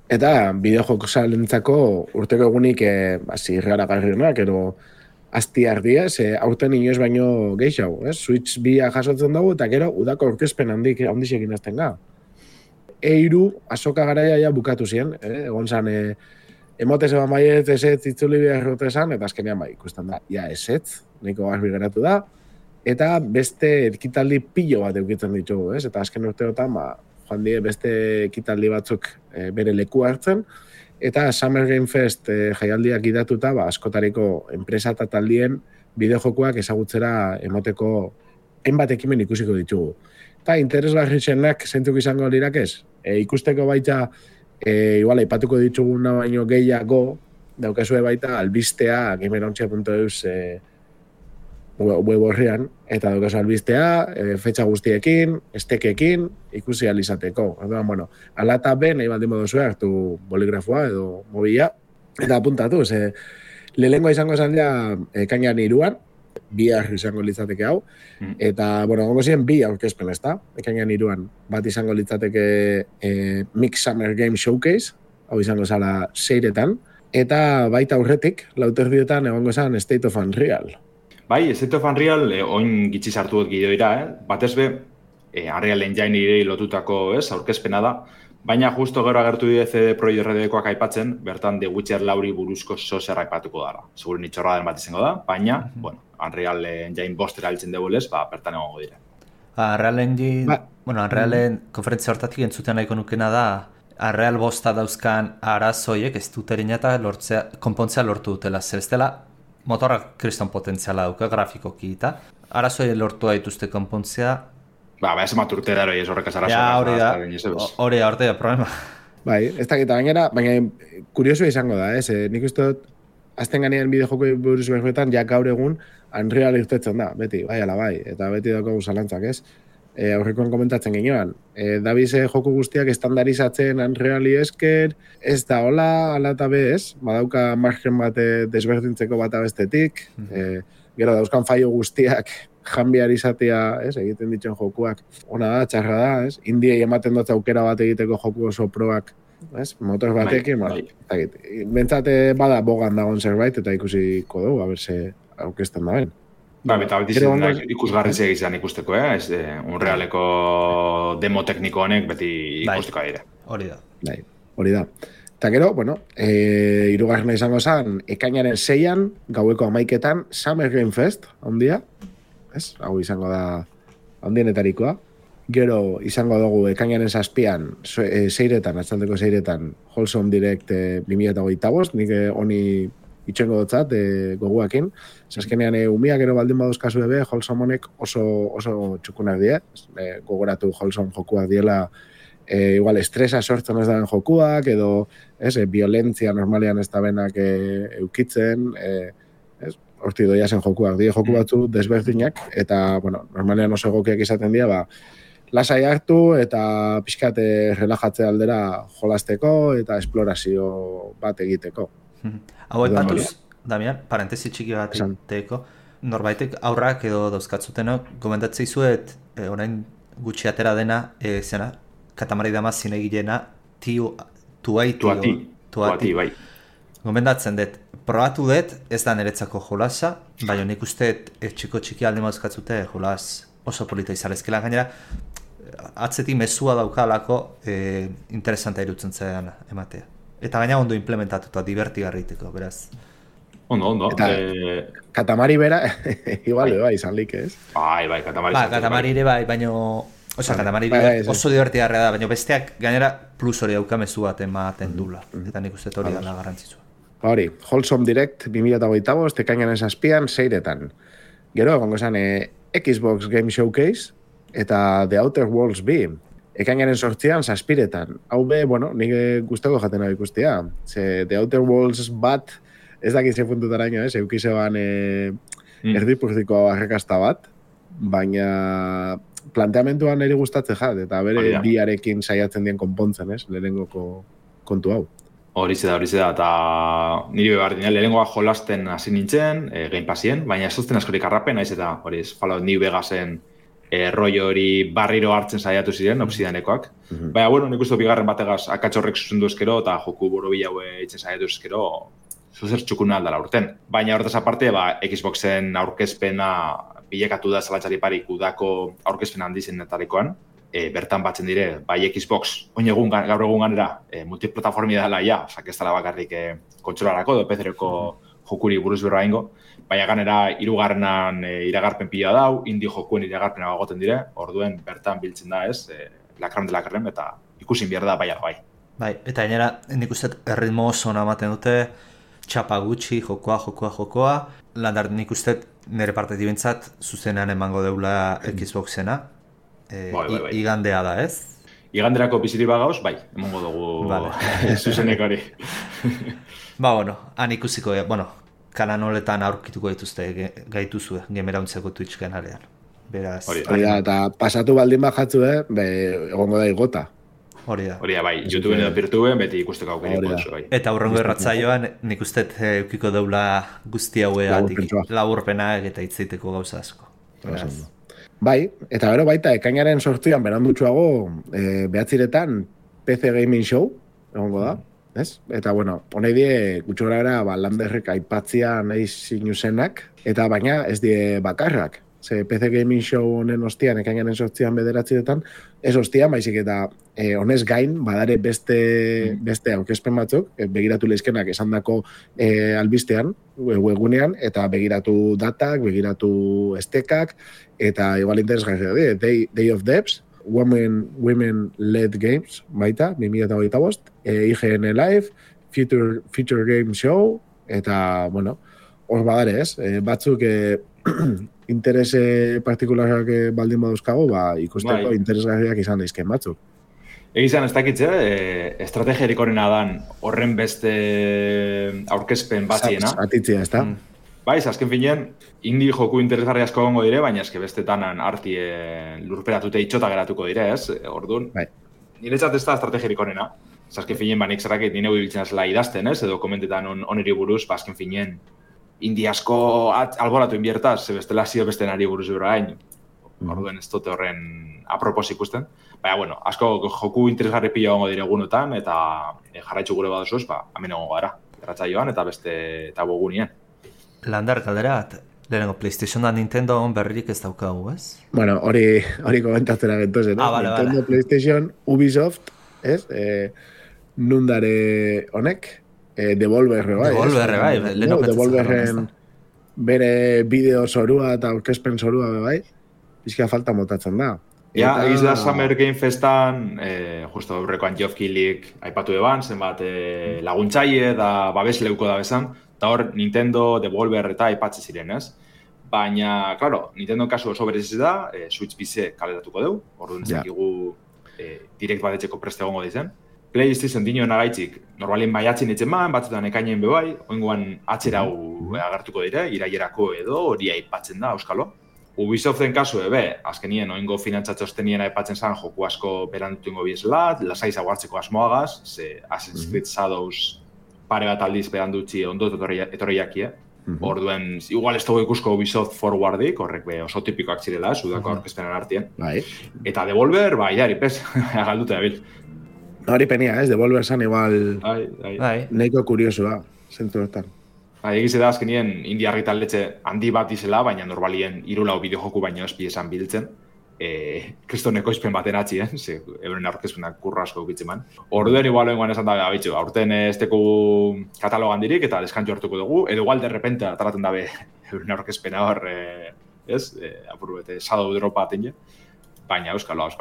eta bideojoko salentzako urteko egunik zirrara garrienak, ero asti ardiaz, aurten inoiz baino gehiago, ez? Switch 2 jasotzen dugu, eta gero udako aurkezpen handixekin azten ga. Eiru, azoka garaia ja bukatu ziren, egon zan, emote zeban baiet esetz itzuli behar esan, eta azkenean bai, ikusten da, ja esetz, nahiko garbi geratu da, eta beste ekitaldi pilo bat eukitzen ditugu, ez? Eta azken urteotan, joan die beste ekitaldi batzuk bere leku hartzen, eta Summer Game Fest jaialdiak idatuta, askotariko enpresa eta taldien bideojokoak ezagutzera emoteko hainbat ekimen ikusiko ditugu. Eta interesgarri zenak zentzuk izango lirak ez? Ikusteko baita, igual aipatuko dituguna baino gehiago, daukazue baita albistea gamerontxia.eus web horrean, eta daukazu albistea, fetxa guztiekin, estekekin, ikusi alizateko. Bueno, ala eta be, nahi baldin moduzue hartu boligrafoa edo mobila, eta apuntatu, lehenengoa izango esan ja ekainan 3, bihar izango litzateke hau, eta, bueno, gongo ziren 2 aurkezpen, ez da? Ekainan 3, bat izango litzateke Mix Summer Game Showcase, hau izango zala 6etan, eta baita aurretik, lauterdietan egongo esan State of Unreal. Bai, State of Unreal, oin gitzi sartu dut gidoira, batez be, Unreal Engine irei lotutako, aurkezpena da, baina justo gero agertu die CD Projekt Redekoak aipatzen, bertan The Witcher 4 buruzko zozer aipatuko dara. Seguro nitxorra den bat izango da, baina, bueno, Unreal Engine bostera altzen degulez, bertan egongo dire. Unreal Engine, Unrealen konferentzia hortatik entzuten nahiko nukena da, Unreal bosta dauzkan arazoiek ez duterina eta konpontzea lortu dutela, zer ez dela, motorrak kriston potentziala dauka grafikoki eta arazoi lortua dituzte konpontzea. Ez maturte daro ez horrekaz arazoa. Ja, hori da, problema. Bai, ez dakita baina kurioso izango da, nik uste dut, azten ganean bideojoko buruz berbetan, ja gaur egun Unreal irtetzen da, beti, bai, ala bai, eta beti daukagu zalantzak, ez? Aurrekoan komentatzen ginean, dabize joko guztiak estandarizatzen Unreali esker, ez da hola, ala eta be, ez? Badauka margen bat desberdintzeko bat abestetik, gero dauzkan faio guztiak janbiar izatea, ez, egiten ditzen jokuak. Ona da, txarra da, ez, indiei ematen dut aukera bat egiteko joku oso proak, ez, motor batekin, bentsate bada bogan dagoen zerbait, eta ikusiko dugu, a berse aurkezten da ben. Eta beti ikusgarri izan ikusteko, ez? Unrealeko demo tekniko honek beti ikusteko dira. Hori da. Hori da. Eta gero, bueno, hirugarrena izango zen, ekainaren 6an, gaueko 11etan, Summer Game Fest, ondia, ez? Hau izango da ondienetarikoa. Gero izango dugu ekainaren 7an, seiretan, atzaldeko seiretan, Wholesome Direct 2025, nik honi itxengo dotzat, goguakin. Zaskenean, umiak gero baldin baduzkazu ebe, Wholesome honek oso txukunak die. Gogoratu Wholesome jokuak diela, igual estresa sortzen ez daben jokuak, edo violentzia normalean ez dabenak eukitzen, horti doia zen jokuak. Die joku batzu desberdinak, eta, bueno, normalean oso egokiak izaten dira, lasai hartu eta pixkat relajatzea aldera jolasteko eta esplorazio bat egiteko. Hau aipatuz, Damian, parentesi txiki bat egiteko, norbaitek aurrak edo dauzkatzutenok, gomendatzei zuet, orain gutxi atera dena, zena, Katamari Damacy zinegilena, Tuati, bai. Gomendatzen dut, probatu dut, ez da niretzako jolasa, baina nik uste txiki alde dauzkatzute jolas oso polita izalezkela, gainera, atzetik mezua daukalako interesanta irutzen zean ematea. Eta gaina ondo implementatuta, divertigarriteko, beraz. Ondo. Eta Katamari bera, igual, izan lik, ez? Bai, Katamari. Katamari ere bai, baina... Katamari oso divertigarria da, baina besteak gainera plus hori daukamezu bat ematen dula. Eta nik uste hori dala garrantzitsua. Hori, Wholesome Direct 2025, ekainaren 7an, seiretan. Gero, egongo esan, Xbox Game Showcase eta The Outer Worlds B. Ekainaren 8an, 7etan. Hau be, bueno, nik guztako jaten hau ikustia. The Outer Worlds bat, ez dakit ze puntutaraino, eukizeban erdipurdiko arrakasta bat, baina planteamentuan eri gustatzen jat, eta bere biarekin saiatzen dien konpontzen, lehenengoko kontu hau. Hori da, eta niri behar dina, lehenengoa jolasten hasi nintzen, Game Passien, baina ez zuzten askorik arrapen, naiz eta hori Fallout New Vegasen rollo hori barriro hartzen saiatu ziren, Obsidianekoak. Baina, bueno, nik uste bigarren bategaz akatxorrek zuzendu ezkero, eta joku borobila hitzen saiatu ezkero, zuzer txukuna aldala urten. Baina horretaz aparte, Xboxen aurkezpena bilekatu da zalantzari parik udako aurkezpen handizen netarikoan, bertan batzen dire, bai Xbox, gaur egun ganera, multiplataformi dela ja, ez dela bakarrik kontsolarako, edo PC-reko jokuri buruz berroa ingo, baina ganera hirugarrenan iragarpen pila dau, indie jokuen iragarpena bagoten dire, orduen bertan biltzen da ez, lakran de lakarren, eta ikusin behar da bai. Bai, eta gainera, nik uste erritmo oso ematen dute, txapa gutxi, jokoa, landar nik uste nire partetik bintzat, zuzenean emango deula Xboxena, igandea da, ez? Iganderako biziri bagauz, bai, emango dugu zuzenek hori. Han ikusiko, kanan holetan aurkituko dituzte gaituzue, gemerauntzeko Twitch kanalean. Beraz... Hori da, eta pasatu baldin bajatzu, egongo da igota. Hori da, bai, YouTubeen edo Pirtuen, beti ikusteko aukeri potzu, bai. Eta aurrengo erratzaioan, nik uste eukiko deula guzti haueatik, laburpena eta hitzeiteko gauza asko. Bai, eta gero baita, ekainaren 8an berandutxuago, behatziretan PC Gaming Show, egongo da, ez? Eta, bueno, honei die, gutxora era, landerrek aipatzia nahi zinuzenak, eta baina ez die bakarrak. PC Gaming Show honen ostian, ekainaren 8an bederatziretan, ez ostian, baizik eta honez gain, badare beste aurkezpen batzuk, begiratu lehizkenak esandako albistean, webgunean, eta begiratu datak, begiratu estekak, eta igual interesgarria Day of Devs, Women-Led Games, baita, 2025, IGN Live, Future Game Show, eta, bueno, hor badare ez, batzuk interese partikularrak baldin baduzkago, ikusteko interesgarriak izan daizken batzuk. Egizan ez dakitze, estrategiarik horrena dan horren beste aurkezpen batziena. Atitzia, ez da? Bai, azken finean, indie joku interesgarri asko gongo dire, baina eske bestetan arti lurperatute itxota geratuko dire, ez? Orduan, niretzat ez da estrategiarik horrena. Azken finean, nik zerrakit nire biltzen azela idazten, ez? Edo komentetan oneri buruz, azken finean, indi asko alboratu inbiertaz, ze bestela zio beste nari buruz gain. Orduen ez dute horren apropos ikusten. Baina, bueno, asko joku interesgarri pila gongo dire egunotan, eta jarraitzu gure baduzuz, hemen egongo gara. Erratzaioan eta beste eta bogunien. Landar galdera, lehenengo PlayStation da Nintendo berririk ez daukagu, ez? Bueno, hori komentatzera gentozen, vale, Nintendo, vale. PlayStation, Ubisoft, ez? Nundare honek, Devolver, bai. Devolver, bai, lehenengo Devolverren bere bideo zorua eta aurkezpen zorua, bai. Bizka falta motatzen da. Ja, egiz da Summer Game Festan, justo aurrekoan Geoff Keighley aipatu eban, zenbat laguntzaile da babes leuko da bezan, eta hor Nintendo, Devolver eta aipatze ziren, ez? Baina, claro, Nintendo kasu oso bereziz da, Switch PC kaleratuko deu, orduan zekigu direkt batetxeko preste egongo dizen. PlayStation dino nagaitzik, normalien baiatzen itzen man, batzutan ekainen bebai, oingoan atzerau agertuko dire, iraierako edo hori aipatzen da, euskalo. Ubisoften kasu azkenien oingo finantzatxostenien aipatzen zan joku asko berandutu ingo biesela, lasai zaguartzeko asmoagaz, ze Assassin's Creed Shadows pare bat aldiz berandutzi ondo etorriakie. Orduen, igual ez dugu ikusko Ubisoft forwardik, horrek oso tipikoak zirela, udako aurkezpenan artien. Eta Devolver, idari, pez, galdute dabil. Hori penia, ez? Devolver zan igual nahiko kuriosua, zentu hortan. Egize da azkenien India argitaletxe handi bat izela, baina normalien 3-4 bideojoku baino espi esan biltzen. Kristoneko izpen baten atzien, ze euren aurkezpenak kurra asko ukitzen man. Orduen igual oingoan esan dabe, abitxu, aurten ez teko katalogan dirik eta deskantxo hartuko dugu, edo igual de repente ataraten dabe euren aurkezpena hor, apur bete, Shadow Drop aten baina euskalo.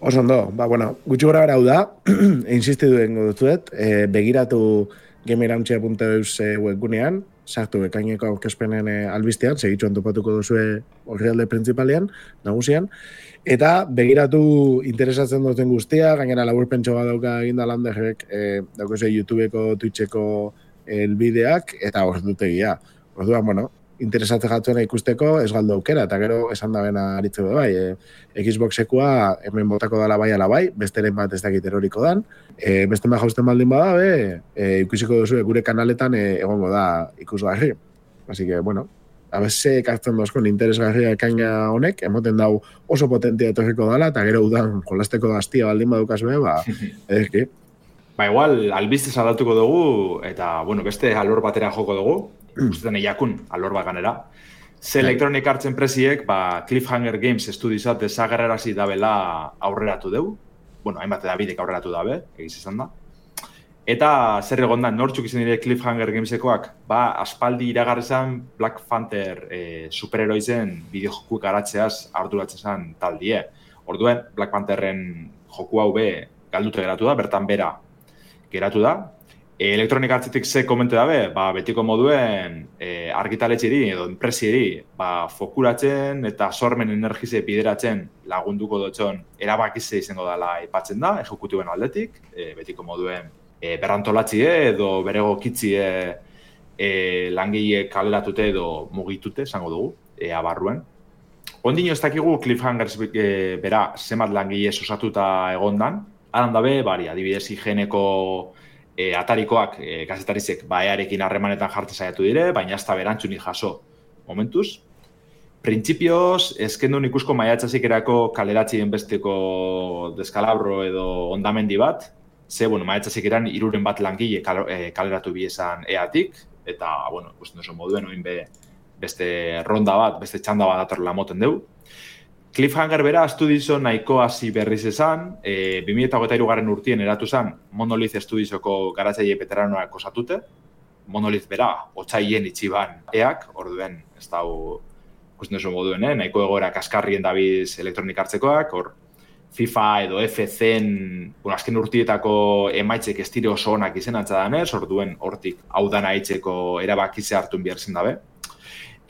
Oso ondo, bueno, gutxi gora gara hau da, insistidu dengo dutuet, begiratu gameirauntzia.eus webgunean, sartu ekaineko aurkezpenen albistean, segitxuan topatuko duzue orrialde printzipalean, nagusian, eta begiratu interesatzen duten guztia, gainera laburpentso bat dauka eginda Landerrek, daukose YouTubeko, Twitcheko elbideak, eta ordutegia. Orduan, bueno, interesatzen jatuena ikusteko ez galdu aukera, eta gero esan da bena aritzeko bai. Xboxekoa hemen botako dala bai ala bai, besteren bat ez dakit eroriko dan, beste bat jausten baldin bada, ikusiko duzu gure kanaletan egongo da ikusgarri. Así que, bueno, abese ekartzen dozkon interesgarria ekaina honek, emoten dau oso potentia etorriko dala, eta gero udan jolasteko daztia baldin badukazue, eski. Igual, albiztez aldatuko dugu, eta, bueno, beste alor batera joko dugu, ustetan eiakun alor bat ganera. Ze Electronic Arts enpresiek, Cliffhanger Games estudizat desagerrarazi dabela aurreratu deu. Bueno, hainbat edabidek aurreratu dabe, egiz izan da. Eta zer egon da, nortzuk izan dire Cliffhanger Gamesekoak, aspaldi iragarri zen Black Panther superheroizen bideojoku garatzeaz arduratzen zen taldie. Orduen, Black Pantherren joku hau galdute geratu da, bertan bera geratu da. Electronic Artsetik ze komente dabe, betiko moduen argitaletxeri edo enpresieri fokuratzen eta sormen energize bideratzen lagunduko dutxon erabakize izango dela aipatzen da, ejekutiben aldetik, betiko moduen berrantolatzie edo berego kitzie langile kaleratute edo mugitute, esango dugu, abarruen. Ondino ez dakigu Cliffhangers bera zemat langile osatuta egondan, aran dabe, adibidez higieneko atarikoak gazetarizek earekin harremanetan jartzen saiatu dire, baina ez da berantzuni jaso momentuz. Printzipioz, ezkendun ikusko maiatzazik erako kaleratzien besteko deskalabro edo ondamendi bat, ze, maiatzazik eran 3 bat langile kaleratu biezan eatik, eta, ikusten duzu moduen, oin beste ronda bat, beste txanda bat atorrela moten deu. Cliffhanger bera estudizo nahiko hasi berriz esan, 2023 urtien eratu zen Monolith Studiosoko garatzaile veteranoak osatute, Monolith bera otsaien itxiban eak, orduen ez dau ikusten duzu moduen, nahiko egoera kaskarrien dabiz Electronic Artsekoak, hor FIFA edo FC-en azken urtietako emaitzek estire oso onak izen antzadanez, orduen hortik hau dana aitzeko erabakitze hartun behar zen dabe.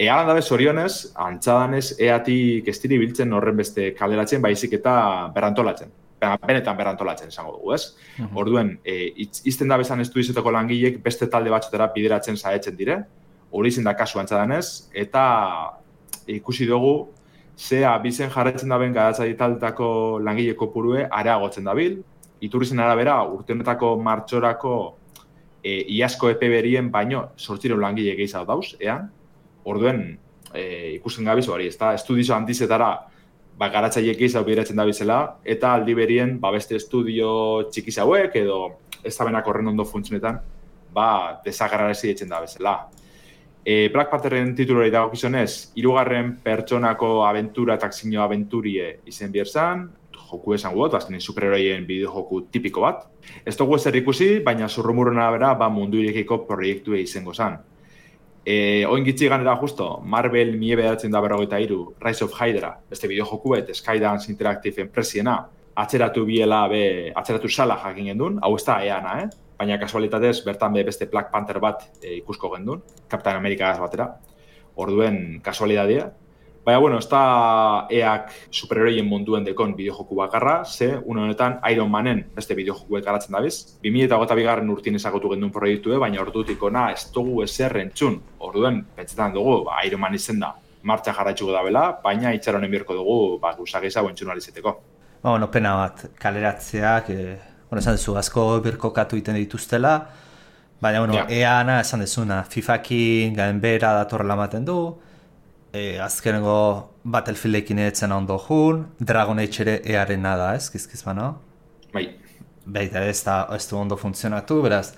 Alan dabe zorionez, antzadanez eatik estiri biltzen horren beste kaleratzen, baizik eta berantolatzen. Benetan berantolatzen esango dugu, ez? Orduen, izten da bezan estudizetako langilek beste talde batzutera bideratzen saetzen dire, hori izen da kasu antzadanez, eta ikusi dugu, zea bizen jarretzen daben garatzaile taldetako langile kopurue areagotzen dabil, iturrizen arabera urte honetako martxorako iazko epe berien baino 800 langile gehiago dauz, orduen ikusten gabiz hori, estudizo handizetara garatzaile gehiago bideratzen da bizela, eta aldi berien beste estudio txikiz hauek edo ez da benak horren ondo funtzionetan, desagarrarazi ditzen da bezala. Black Pantherren titulori dagokizunez, 3. pertsonako abentura eta akzio abenturie izen bierzan, joku esan gut, azkenin superheroien bideojoku tipiko bat. Ez dugu ezer ikusi, baina zurrumurren arabera mundu irekiko proiektue izango zan. Oin gitzi ganera justo, Marvel 1993, Rise of Hydra, beste bideojoku Skydance Interactive enpresiena, atzeratu sala jakin gendun, hau ez da EANA, baina kasualitatez bertan beste Black Panther bat ikusko gendun, Captain America batera, orduen kasualitatea. Baina, ez da EAk superheroien munduen dekon bideojoku bakarra, une honetan Iron Manen beste bideojokuek garatzen dabiz. 2022 urtien ezagutu gendun proiektue, baina ordutik ona ez dugu ezer entzun. Orduen, pentsetan dugu, Iron Man izen da, martxa jarraitzuko da bela, baina itxaronen birko dugu, gusageza entzun alizeteko. Pena bat, kaleratzeak, esan dezu, asko birkokatu iten dituztela, baina, EAna esan dezuna, FIFA-kin gainbera datorrela ematen du, azkenengo Battlefieldekin etzen ondo jun, Dragon Age ere EArena da, kizkiz bano? Bai. Baita ez du ondo funtzionatu, beraz,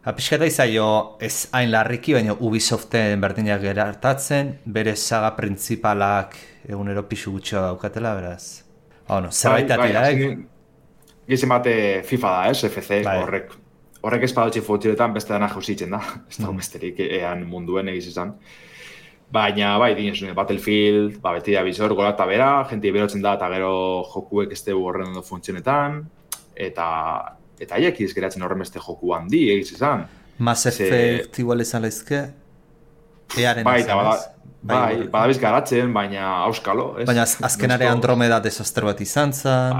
pixketa izaio ez hain larriki, baina Ubisoften berdinak gerartatzen, bere saga principalak egunero pixu gutxo daukatela, beraz. Zerbaitati da, Gizien bate FIFA da, FC, horrek espadotxe futxiletan beste dana jauzitzen da, ez da besterik ean munduen egizizan. Baina, dinezune, Battlefield, beti da bizor, gola eta bera, jenti berotzen da, eta gero jokuek ez dugu horren ondo funtzionetan, eta haiek izgeratzen horren beste joku handi egizizan. Mass Effect igual izan lehizke, earen badabiz garatzen, baina auskalo. Baina azkenare Andromeda desastre bat izan zen.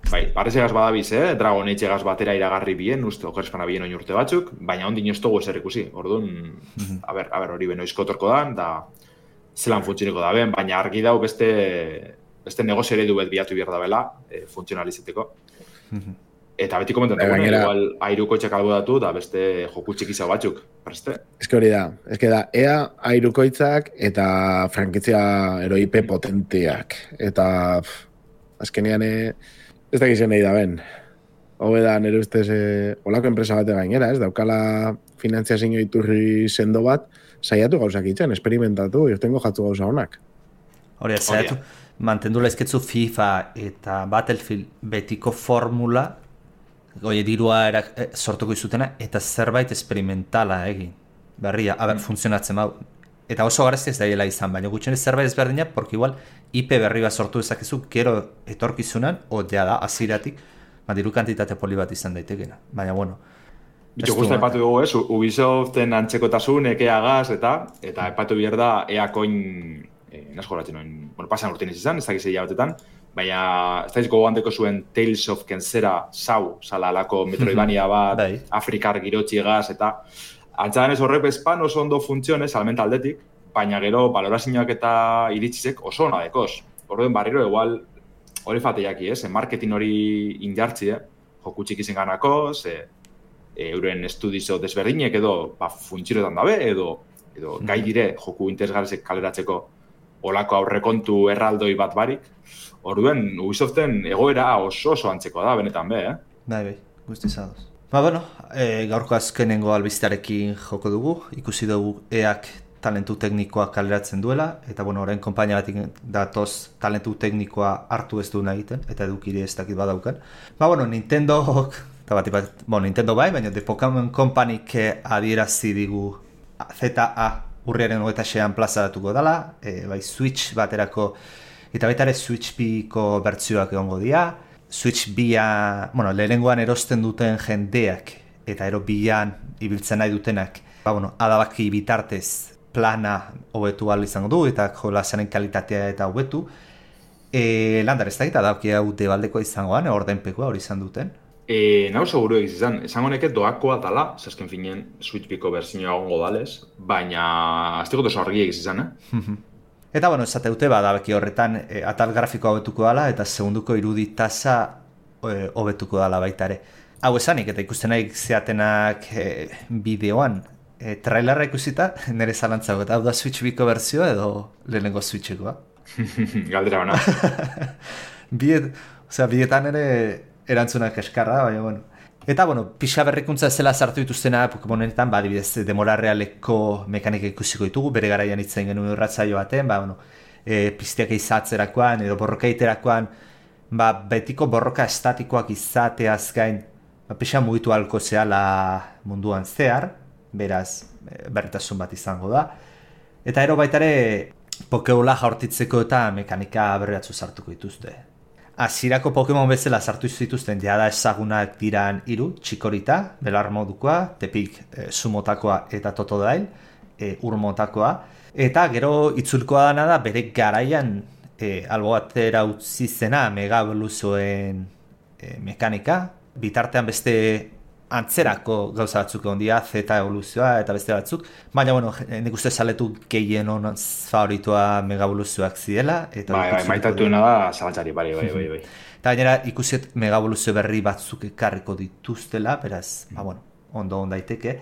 Parezegaz badabiz, Dragon Age egaz batera iragarri bien, uste okerespana bien oin urte batzuk, baina ondin ez dugu ezer ikusi. Orduan, hori benoizko torko dan, da zelan funtzioneko da ben, baina argi dau beste negozio eredu bet biatu behar da bela, funtzionalizeteko. Eta beti komentan dugu, igual airukoitzak albodatu da beste joku txikizau batzuk, preste? Ez hori da, ea airukoitzak eta frankizia eroipe potenteak. Eta azkenean ez da gizien nahi da ben. Hobe da nire ustez olako enpresa bate gainera, daukala finantziazio iturri sendo bat, saiatu gauzak itzen, esperimentatu, irtengo jatzu gauza honak. Hori, saiatu, mantendu laizketzu FIFA eta Battlefield betiko formula, dirua sortuko izutena, eta zerbait esperimentala egin. Berria, funtzionatzen bau. Eta oso garezti ez daiela izan, baina gutxenez zerbait ezberdina, porque igual IP berri bat sortu dezakezu, gero etorkizunan, da, aziratik, diru kantitate poli bat izan daitekena. Baina, bueno. Bitxo guzti epatu dugu, Ubisoften antzekotasun, ekeagaz, eta epatu behar da, eakoin, nasko horatzen noin, pasan urtean izan, ez dakizei jabatetan, baina ez da izko gogoandeko zuen Tales of Kenzera zala alako Metroidvania bat, Afrikar girotxi egaz, eta antzadan ez horrek bezpan oso ondo funtzionez, almenta aldetik, baina gero balorazioak eta iritsizek oso ona dekoz. Orduen barriro, igual, hori fateiaki, marketing hori injartzi, joku txikizen ganako, euren estudizo desberdinek edo funtzionetan dabe, edo gai dire joku interesgarrezek kaleratzeko olako aurrekontu erraldoi bat barik. Orduen, Ubisoften egoera oso antzeko da, benetan be, Bai, guzti zadoz. Gaurko azkenengo albistearekin joko dugu, ikusi dugu EAk talentu teknikoa kaleratzen duela, eta orain konpainia batik datoz talentu teknikoa hartu ez duena egiten, eta edukire ez dakit badaukan. Nintendo bai, baina The Pokémon Companyk adierazi digu ZA urriaren 26an plazaratuko dela, Switch baterako, eta baita ere Switch Biko bertsioak egongo dira, Switch Bia, lehenengoan erosten duten jendeak, eta ero bian ibiltzen nahi dutenak, adabaki bitartez plana hobetu ahal izango du, eta jolasaren kalitatea eta hobetu. Landar ez da, eta adabaki hau debaldekoa izangoan, ordenpekoa hori izan duten. Nahu seguru egiz izan, esango neket doakoa dala, zazken finen Switch Biko berzioa gongo dalez, baina azteko oso argi egiz izan, Eta, esate dute, adabaki horretan atal grafikoa hobetuko dala, eta segunduko iruditasa hobetuko dala baita ere. Hau esanik, eta ikusten nahi zeatenak bideoan, trailerra ikusita, nire zalantzago, eta hau da Switch biko berzioa edo lehenengo Switchekoa? Galdera bana. Bietan ere erantzunak eskarra, baina, bueno. Eta, bueno, pixa berrikuntza zela sartu dituztena Pokemonetan, adibidez, demora realeko mekanika ikusiko ditugu, bere garaian itzen genuen irratzaio baten, bueno, piztiak izatzerakoan edo borroka iterakoan, betiko borroka estatikoak izateaz gain, pixa mugitu halko zehala munduan zehar, beraz, berritasun bat izango da. Eta ero baitare, Pokebola jaurtitzeko eta mekanika berriatzu sartuko dituzte. Hasierako Pokemon bezala sartu zituzten jada ezagunak diran 3, Chikorita, belar modukoa, Tepik sumotakoa eta Totodile, urmotakoa. Eta gero itzulkoa dana da bere garaian albo batera utzi zena Mega Evoluzioen mekanika. Bitartean beste antzerako gauza batzuk egon dira, Z evoluzioa eta beste batzuk. Baina, bueno, nik uste saletu gehien honaz favoritoa Mega Evoluzioak zidela. Bai, maitatuena da zalantzari, bai. Eta gainera ikusiet Mega Evoluzio berri batzuk ekarriko dituztela, beraz, ondo daiteke.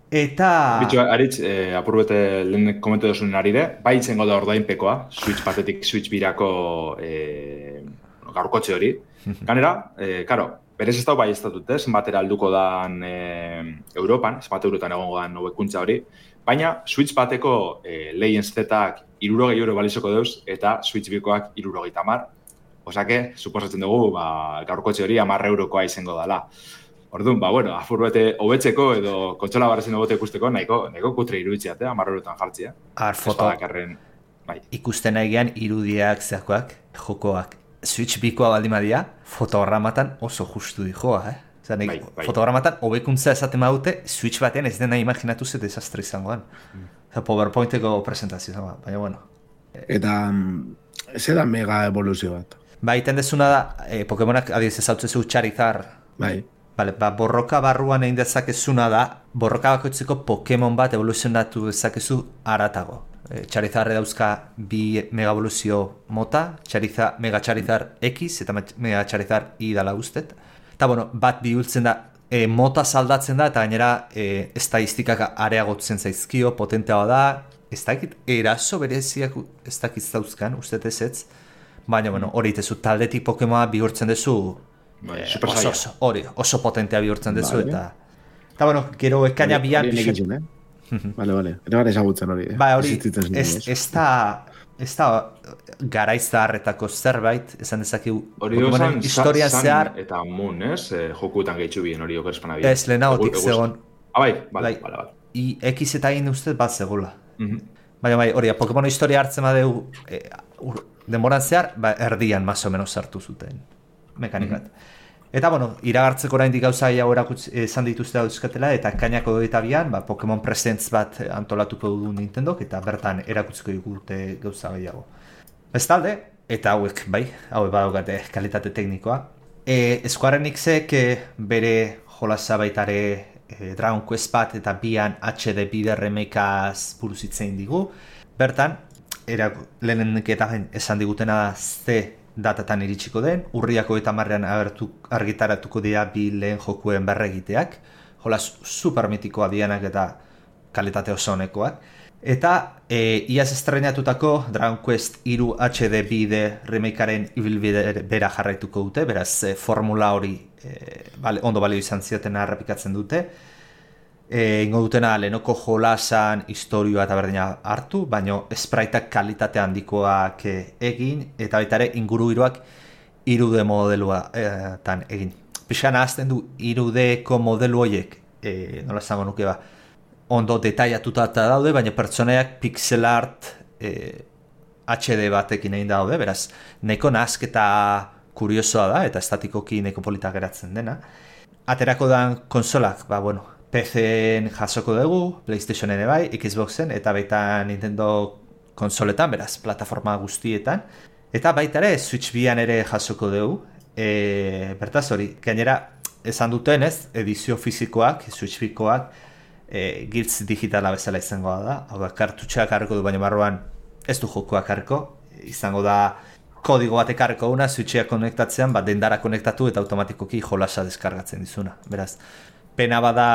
Eta... Bitxo, Aritz, apurbete lehen komentu duzun arire, bai itzengo da ordainpekoa, Switch batetik Switch birako gaurkotxe hori. Ganera, karo, berez ez dago bai ez datut, zenbatera alduko dan Europan, zenbat eurotan egongo dan hobekuntza hori, baina Switch bateko Legends Z-ak 60 euro balizoko deuz, eta Switch bikoak 70. Osake, suposatzen dugu, gaurkotxe hori 10 eurokoa izango dela. Orduan, afurbete hobetzeko edo kontsola barrezen hobote ikusteko, nahiko kutre iruditzeat, 10 eurotan jartzia. Foto, ikusten nahigean irudiak zeakoak, jokoak. Switch bikoa baldimadia, fotogramatan oso justu dijoa, Bai. Fotogramatan hobekuntza esaten badute, Switch batean ez dena imaginatu ze desastre izangoan. PowerPointeko presentazioa, baina bueno. Eta, ze da Mega Evoluzio bat? Iten dezuna da, Pokemonak adibidez ezautzezu Charizard. Bai. Borroka barruan egin dezakezuna da, borroka bakoitzeko Pokemon bat evoluzionatu dezakezu aratago. Charizard dauzka 2 Mega Evoluzio mota, Mega Charizard X eta Mega Charizard Y dala ustet. Eta, bat bihurtzen da, mota saldatzen da, eta gainera estadistikak areagotzen zaizkio, potentea da, ez dakit, eraso bereziak ez dakit dauzkan, ustet ez, baina, hori itezu, taldetik Pokemona bihurtzen dezu, oso potentea bihurtzen dezu, eta, gero ekaina bian... Vale. Ere gara ezagutzen hori. Ez da garaizarretako zerbait, esan dezakegu... Hori duzan, historian zehar... Eta Moon, jokuetan gehitzu bien hori okerspan abia. Ez, lehenagotik zegoen. Bai. X eta in ustez bat zegoela. Baina hori, Pokemon historia hartzen badeu denboran zehar, erdian maso menos sartu zuten mekanikat. Eta, iragartzeko oraindik gauza gehiago esan dituzte dauzkatela, eta kainako 22an, Pokemon Presents bat antolatuko du Nintendok, eta bertan erakutziko digute gauza gehiago. Bestalde, eta hauek badaukate kalitate teknikoa. Square Enixek bere jolasa baitare Dragon Quest bat eta 2an HD bide remakeaz buruz hitzein digu. Bertan, lehenenik eta esan digutena ze datatan iritsiko den, urriako eta marrean argitaratuko dira 2 lehen jokuen berregiteak, jolas supermitikoa dianak eta kalitate oso honekoak. Eta iaz estrenatutako Dragon Quest 3 HD bide remakearen ibilbide bera jarraituko dute, beraz formula hori ondo balio izan ziotena errepikatzen dute. Ingo dutena lehenoko jolasan historioa eta berdina hartu, baina spriteak kalitate handikoak egin, eta baita ere ingurugiroak 3D modeluatan egin. Pixkan ahazten du 3Dko modelu horiek, nola esango nuke ondo detaiatuta daude, baina pertsonaiak pixel art HD batekin egin daude, beraz, neko nahazketa kuriosoa da, eta estatikoki neko polita geratzen dena. Aterako dan konsolak, PC-en jasoko dugu, PlayStation-en bai, Xboxen, eta baita Nintendo konsoletan, beraz, plataforma guztietan. Eta baita ere, Switch bian ere jasoko dugu. Bertaz hori, gainera, esan duten ez, edizio fizikoak, Switch bikoak, giltz digitala bezala izango da. Hau da, kartutxeak harriko du, baina barruan ez du jokoak harriko. Izango da kodigo bat ekarreko una, switchea konektatzean, dendara konektatu eta automatikoki jolasa deskargatzen dizuna. Beraz, pena bada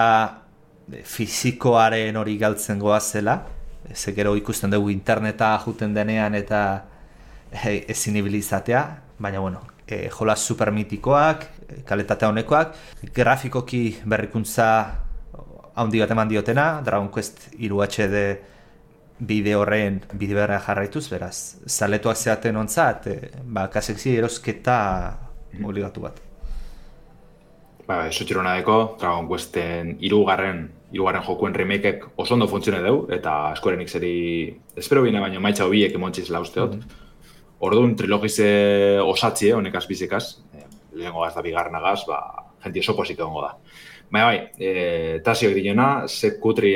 fizikoaren hori galtzen goazela, ze gero ikusten dugu interneta juten denean eta ezin ibilizatea, baina bueno, jolas supermitikoak, kalitatea honekoak, grafikoki berrikuntza handi bat eman diotena, Dragon Quest 3 HD bide horren bide berra jarraituz, beraz, zaletuak zeaten ontzat, kasekzi erosketa obligatu bat. Eso txirona deko, Dragon Questen hirugarren jokuen remakeek oso ondo funtzione deu, eta Square Enixeri espero bine baino maitza hobiek emontziz lausteot. Orduan trilogize osatzie, honekaz bizikaz, lehengo gaz da bigarrenagaz, jenti oso posik egongo da. Bai, Tasioak dinena, sekutri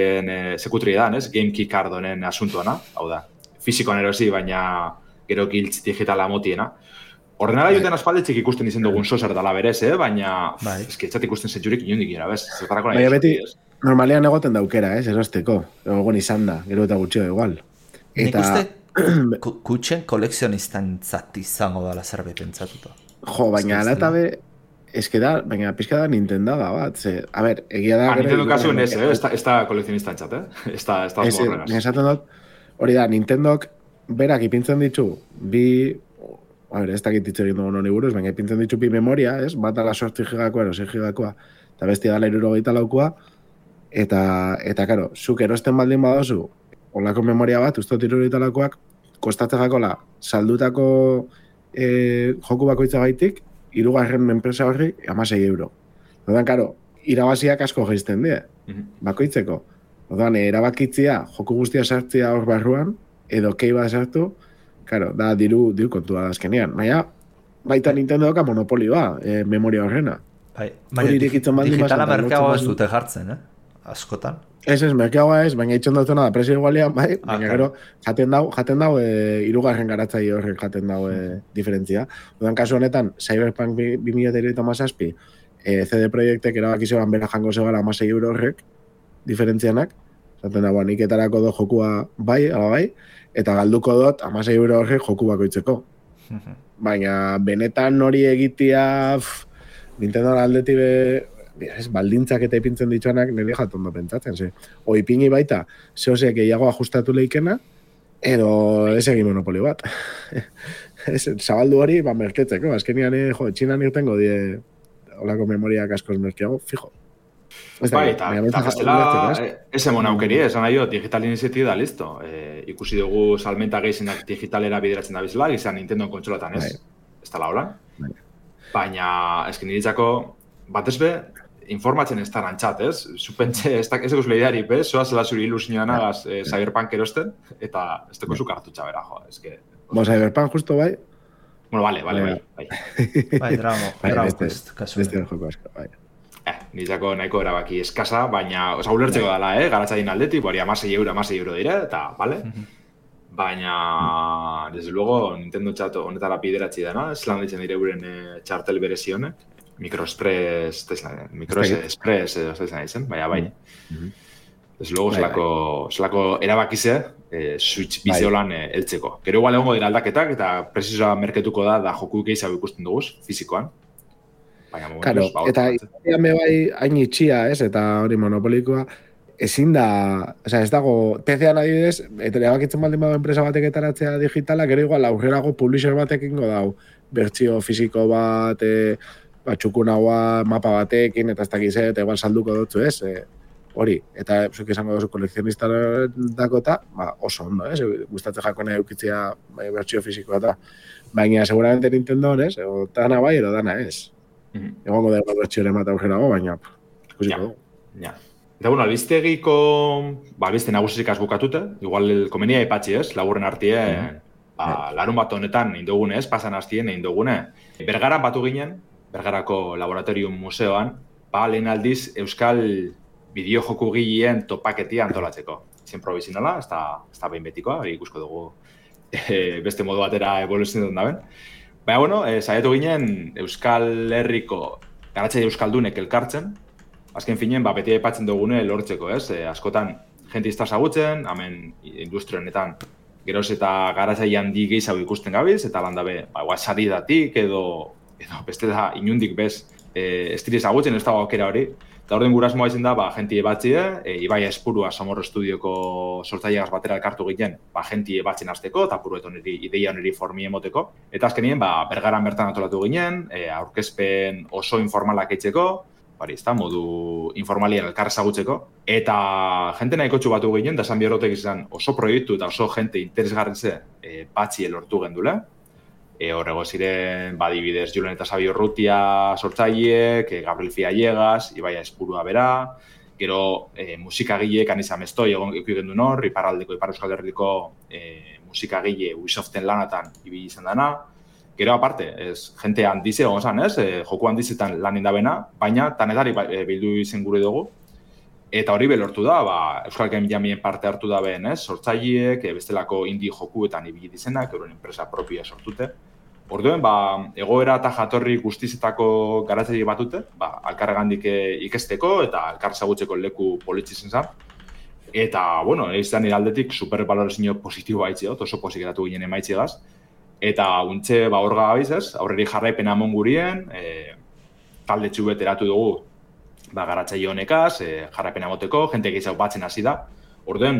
da, GameKey card honen asuntuana, hau da, fizikoan erosi, baina gero giltz digitala motiena. Ordenara joten aspaldetxik ikusten izen dugun sozer dala berez, baina etxat ikusten zetxurik inondik gira, bez? Baina beti, normalean egoten daukera, erosteko, egon izan da, gero eta gutxio igual. Nik uste, kutxen kolekzionistan zati izango dala zerbait pentsatuta. Jo, baina ala eta be, baina pizka da Nintendo bat, a ber, egia da... Nintendo kasuen ez da kolekzionistan txat, ez da horrenas. Esaten dut, hori da, Nintendok berak ipintzen ditu, ez dakit hitz egin dugun honi buruz, baina ipintzen ditu bi memoria, bat ala 8 gigakoa, 6 gigakoa, eta bestia dala 64 eta karo, zuk erosten baldin badozu, olako memoria bat, ustot 64koak, kostatzen jakola, saldutako joku bakoitza gaitik, 3. enpresa horri, 16 euro. Odan, karo, irabaziak asko geizten die, bakoitzeko. Odan, erabakitzia, joku guztia sartzia hor barruan, edo kei bat sartu, karo, da diru kontua da azkenean. Baita Nintendo doka monopolioa, memoria horrena. Baina digitala merkeagoa ez dute jartzen, askotan. Ez, merkeagoa ez, baina itxon dutena da presio igualean, baina gero, jaten dau, 3. garatzaile horrek jaten dau diferentzia. Odan, kasu honetan, Cyberpunk 2037, CD Projektek erabakizoan bera jango zegala 16 euro horrek, diferentzianak, zaten dagoa, nik etarako do jokua bai, eta galduko dut 16 euro horrek joku bakoitzeko. Baina benetan hori egitea Nintendo aldetik baldintzak eta ipintzen dituanak nire jatondo pentsatzen. Oipini baita, zehozek gehiago ajustatu leikena, edo ez egin monopoli bat. Zabaldu hori, merketzeko. Azkenian, txinan irtengo die olako memoriak askoz merkeago, fijo. Eta gaztela, ez emon aukeri, esan nahi digital iniziatiba da, listo. Ikusi dugu salmenta gehizenak digitalera bideratzen da bizela, izan Nintendo kontsolatan ez da laolan. Baina, esken niritzako, batez be, informatzen ez da rantzat, ez? Zupentxe, ez eguz lehiari, soa zela zuri ilusioan agaz Cyberpunk erosten, eta ez teko zuk hartutxa bera, Cyberpunk justo bai? Bueno, bai. Dragon Quest, kasu. Nitzako nahiko erabaki eskasa, baina, ulertzeko dala, garatzain aldetik, bori 16 euro dire, eta, bale? Baina, desde luego, Nintendo txato honetara bideratzi dena, zelan ditzen dire guren txartel berezionek, Microexpress, edo zaitzen ditzen, baina bai. Desde luego, zelako erabakize, Switch bizeolan heltzeko. Gero igual egongo dira aldaketak, eta presizoa merketuko da joku gehiago ikusten duguz, fizikoan. Claro, eta izatean bai hain itxia, eta hori monopolikoa, ezin da, ez dago, TCA adibidez, eta erabakitzen baldin badago enpresa batek etaratzea digitala, gero igual aurrerago publisher batekin godau, bertsio fisiko bat, txukunagoa mapa batekin, eta ez dakiz, eta igual salduko dutzu ez, hori, eta zuk izango duzu kolekzionista dakota, oso ondo, gustatzen jakone eukitzia bertsio fisikoa eta, baina seguramente Nintendo ez, o dana bai, edo dana ez. Egongo da bertxioren bat aurrerago, baina ikusiko dugu. Eta bueno, albistegiko, albiste nagusik bukatute, igual komenia ipatzi ez, laburren artie, larun bat honetan indugune ez, pasan hastien indugune. Bergaran batu ginen, Bergarako Laboratorium Museoan, lehen aldiz Euskal bideojoku gileen topaketia antolatzeko. Zen provisionala, ez da behin betikoa, ikusko dugu beste modu batera evoluzionetan daben. Baina, bueno, saietu ginen Euskal Herriko garatzaile euskaldunek elkartzen, azken finen, beti aipatzen dugune lortzeko, ez? Askotan, jente izta zagutzen, hemen industria honetan geroz eta garatzaile handi gehiago ikusten gabiz, eta landabe, saridatik edo beste da inundik bez, ez dira ezagutzen ez dago aukera hori. Eta orden gurasmoa izan da, jentie batzie, Ibai Espurua Somorro Estudioko sortzaileagaz batera elkartu ginen, jentie batzen hasteko eta purueto ideia niri formi emoteko. Eta azkenien, Bergaran bertan antolatu ginen, aurkezpen oso informalak eitzeko, modu informalien elkar ezagutzeko. Eta jente nahiko txubatu ginen, da esan biorotek izan oso proiektu eta oso jente interesgarritze batzie lortu gendule. Horrego ziren, dibidez, Julen eta Sabio Urrutia sortzaileek, Gabriel Fiallegas, Ibai Espurua bera, gero musikagile, Kanisa Mestoi egon ikuigen duen hor, Ipar Euskal Herriko musikagile Ubisoften lanatan ibili izan dana. Gero aparte, jente handize egon zan, joku handizetan lan indabena, baina tanetari bildu izen gure dugu. Eta hori belortu da, Euskal Game Jamien parte hartu da behen, sortzaileek, bestelako indie jokuetan ibili izenak, euren enpresa propia sortute. Orduen, egoera eta jatorri guztizetako garatzaile batute, alkarregandik ikesteko eta alkar zagutzeko leku politxizen zan. Eta, izan nire aldetik supervalorazio positibo haitze, oso pozik eratu ginen emaitziegaz. Eta untxe, hor gabizez, aurreri jarraipena amon gurien, talde txubet eratu dugu, garatzaile honekaz, jarrapena goteko, jente gehiago batzen hasi da. Orduen,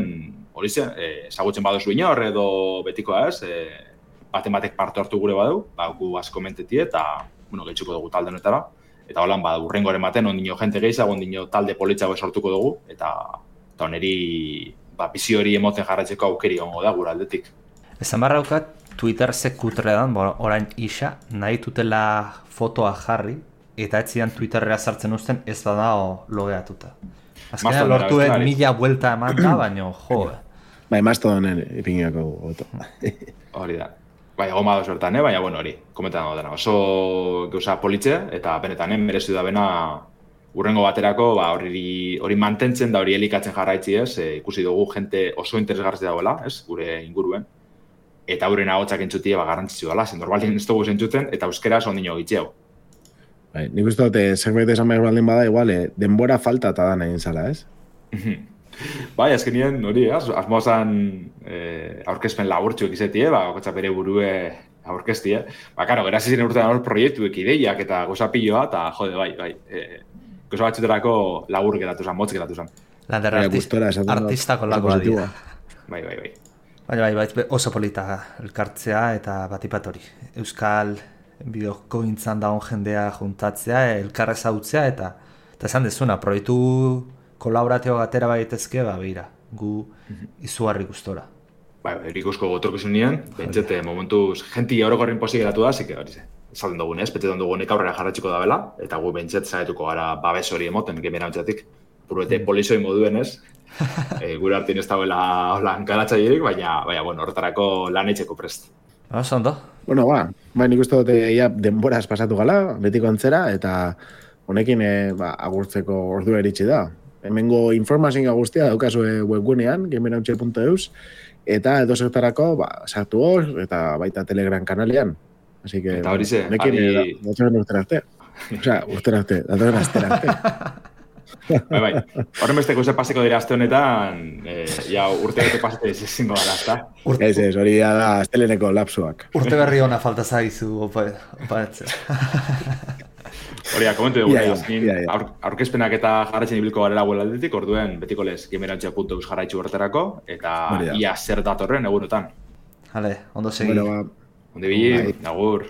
hori zen, ezagutzen badozu inor edo betikoa ez, batek parte hartu gure badu, gu asko mentetie eta, gehitzuko dugu talde honetara. Eta holan, urrengoren baten, ondino jente gehiago, ondino talde politzago sortuko dugu, eta oneri, bizio hori emoten jarraitzeko aukeri ongo da gure aldetik. Esan barra daukat, Twitter sekutredan, orain isa, nahi tutela fotoa jarri, eta ez zidan Twitterrera sartzen uzten ez da logeatuta. Azkenean lortuen 1000 buelta eman da, baina Mastodonen ipingiako goto. Hori da. Egon bado sortan, baina hori, komentan dena. Oso gauza politxe, eta benetan, merezu da bena urrengo baterako, hori mantentzen da, hori elikatzen jarraitzi ez, ikusi dugu jente oso interesgarri dagoela, ez, gure inguruen. Eta euren ahotsak entzutie garrantzitsu dela, zen normalien ez dugu zentzuten, eta euskeraz ondino gitxeu. Nik uste dute, zerbait esan behar baldin bada, igual, denbora falta eta da nahi zala, ez? Azkenien, hori, asmoa zan aurkezpen laburtxuek izetie, okotza bere burue aurkeztie. Karo, gerazi ziren urtean hor proiektuek ideiak eta goza pilloa, eta jode, goza batxuterako labur geratu zan, motz geratu zan. Lander artistako lagoa dira. Bai. Bai, oso polita elkartzea eta batipat hori. Euskal bideoko gintzan dagoen jendea juntatzea, elkarra ezagutzea eta esan dezuna, proiektu kolaboratio gatera baitezke, beira, gu izugarri gustora. Erikusko gotorkizunien, bentsete momentuz jenti orokorrin pozik geratu da, zike hori ze. Esalden dugun ez, betetan dugunek aurrera jarratxiko da bela, eta gu bentset zagetuko gara babes hori emoten, gemera ontzatik. Puruete polizoi moduen ez, gure hartin ez dagoela holan garatzailerik, baina, horretarako lan etxeko prest. Oso ondo. Nik uste dute denboraz pasatu gala, betiko antzera, eta honekin agurtzeko ordua eritsi da. Hemengo informazioa guztia daukazue webgunean, gamerauntxe.eus, eta edo zertarako sartu hor, eta baita Telegram kanalean. Así que, eta hori ze, datoren urterarte. Datoren asterarte. Bai. Horren besteko ze paseko dira aste honetan, urte pasete ezingo gara, ezta? Ez, hori da asteleneko lapsuak. Urte berri hona falta zaizu, opa etzen. Hori, komentu dugu, aurkezpenak eta jarraitzen ibilko garela aldetik, orduen betiko lez gamerauntxe.eus jarraitzu horretarako, eta ia zer datorren egunotan. Ondo segi. Onde bili, agur.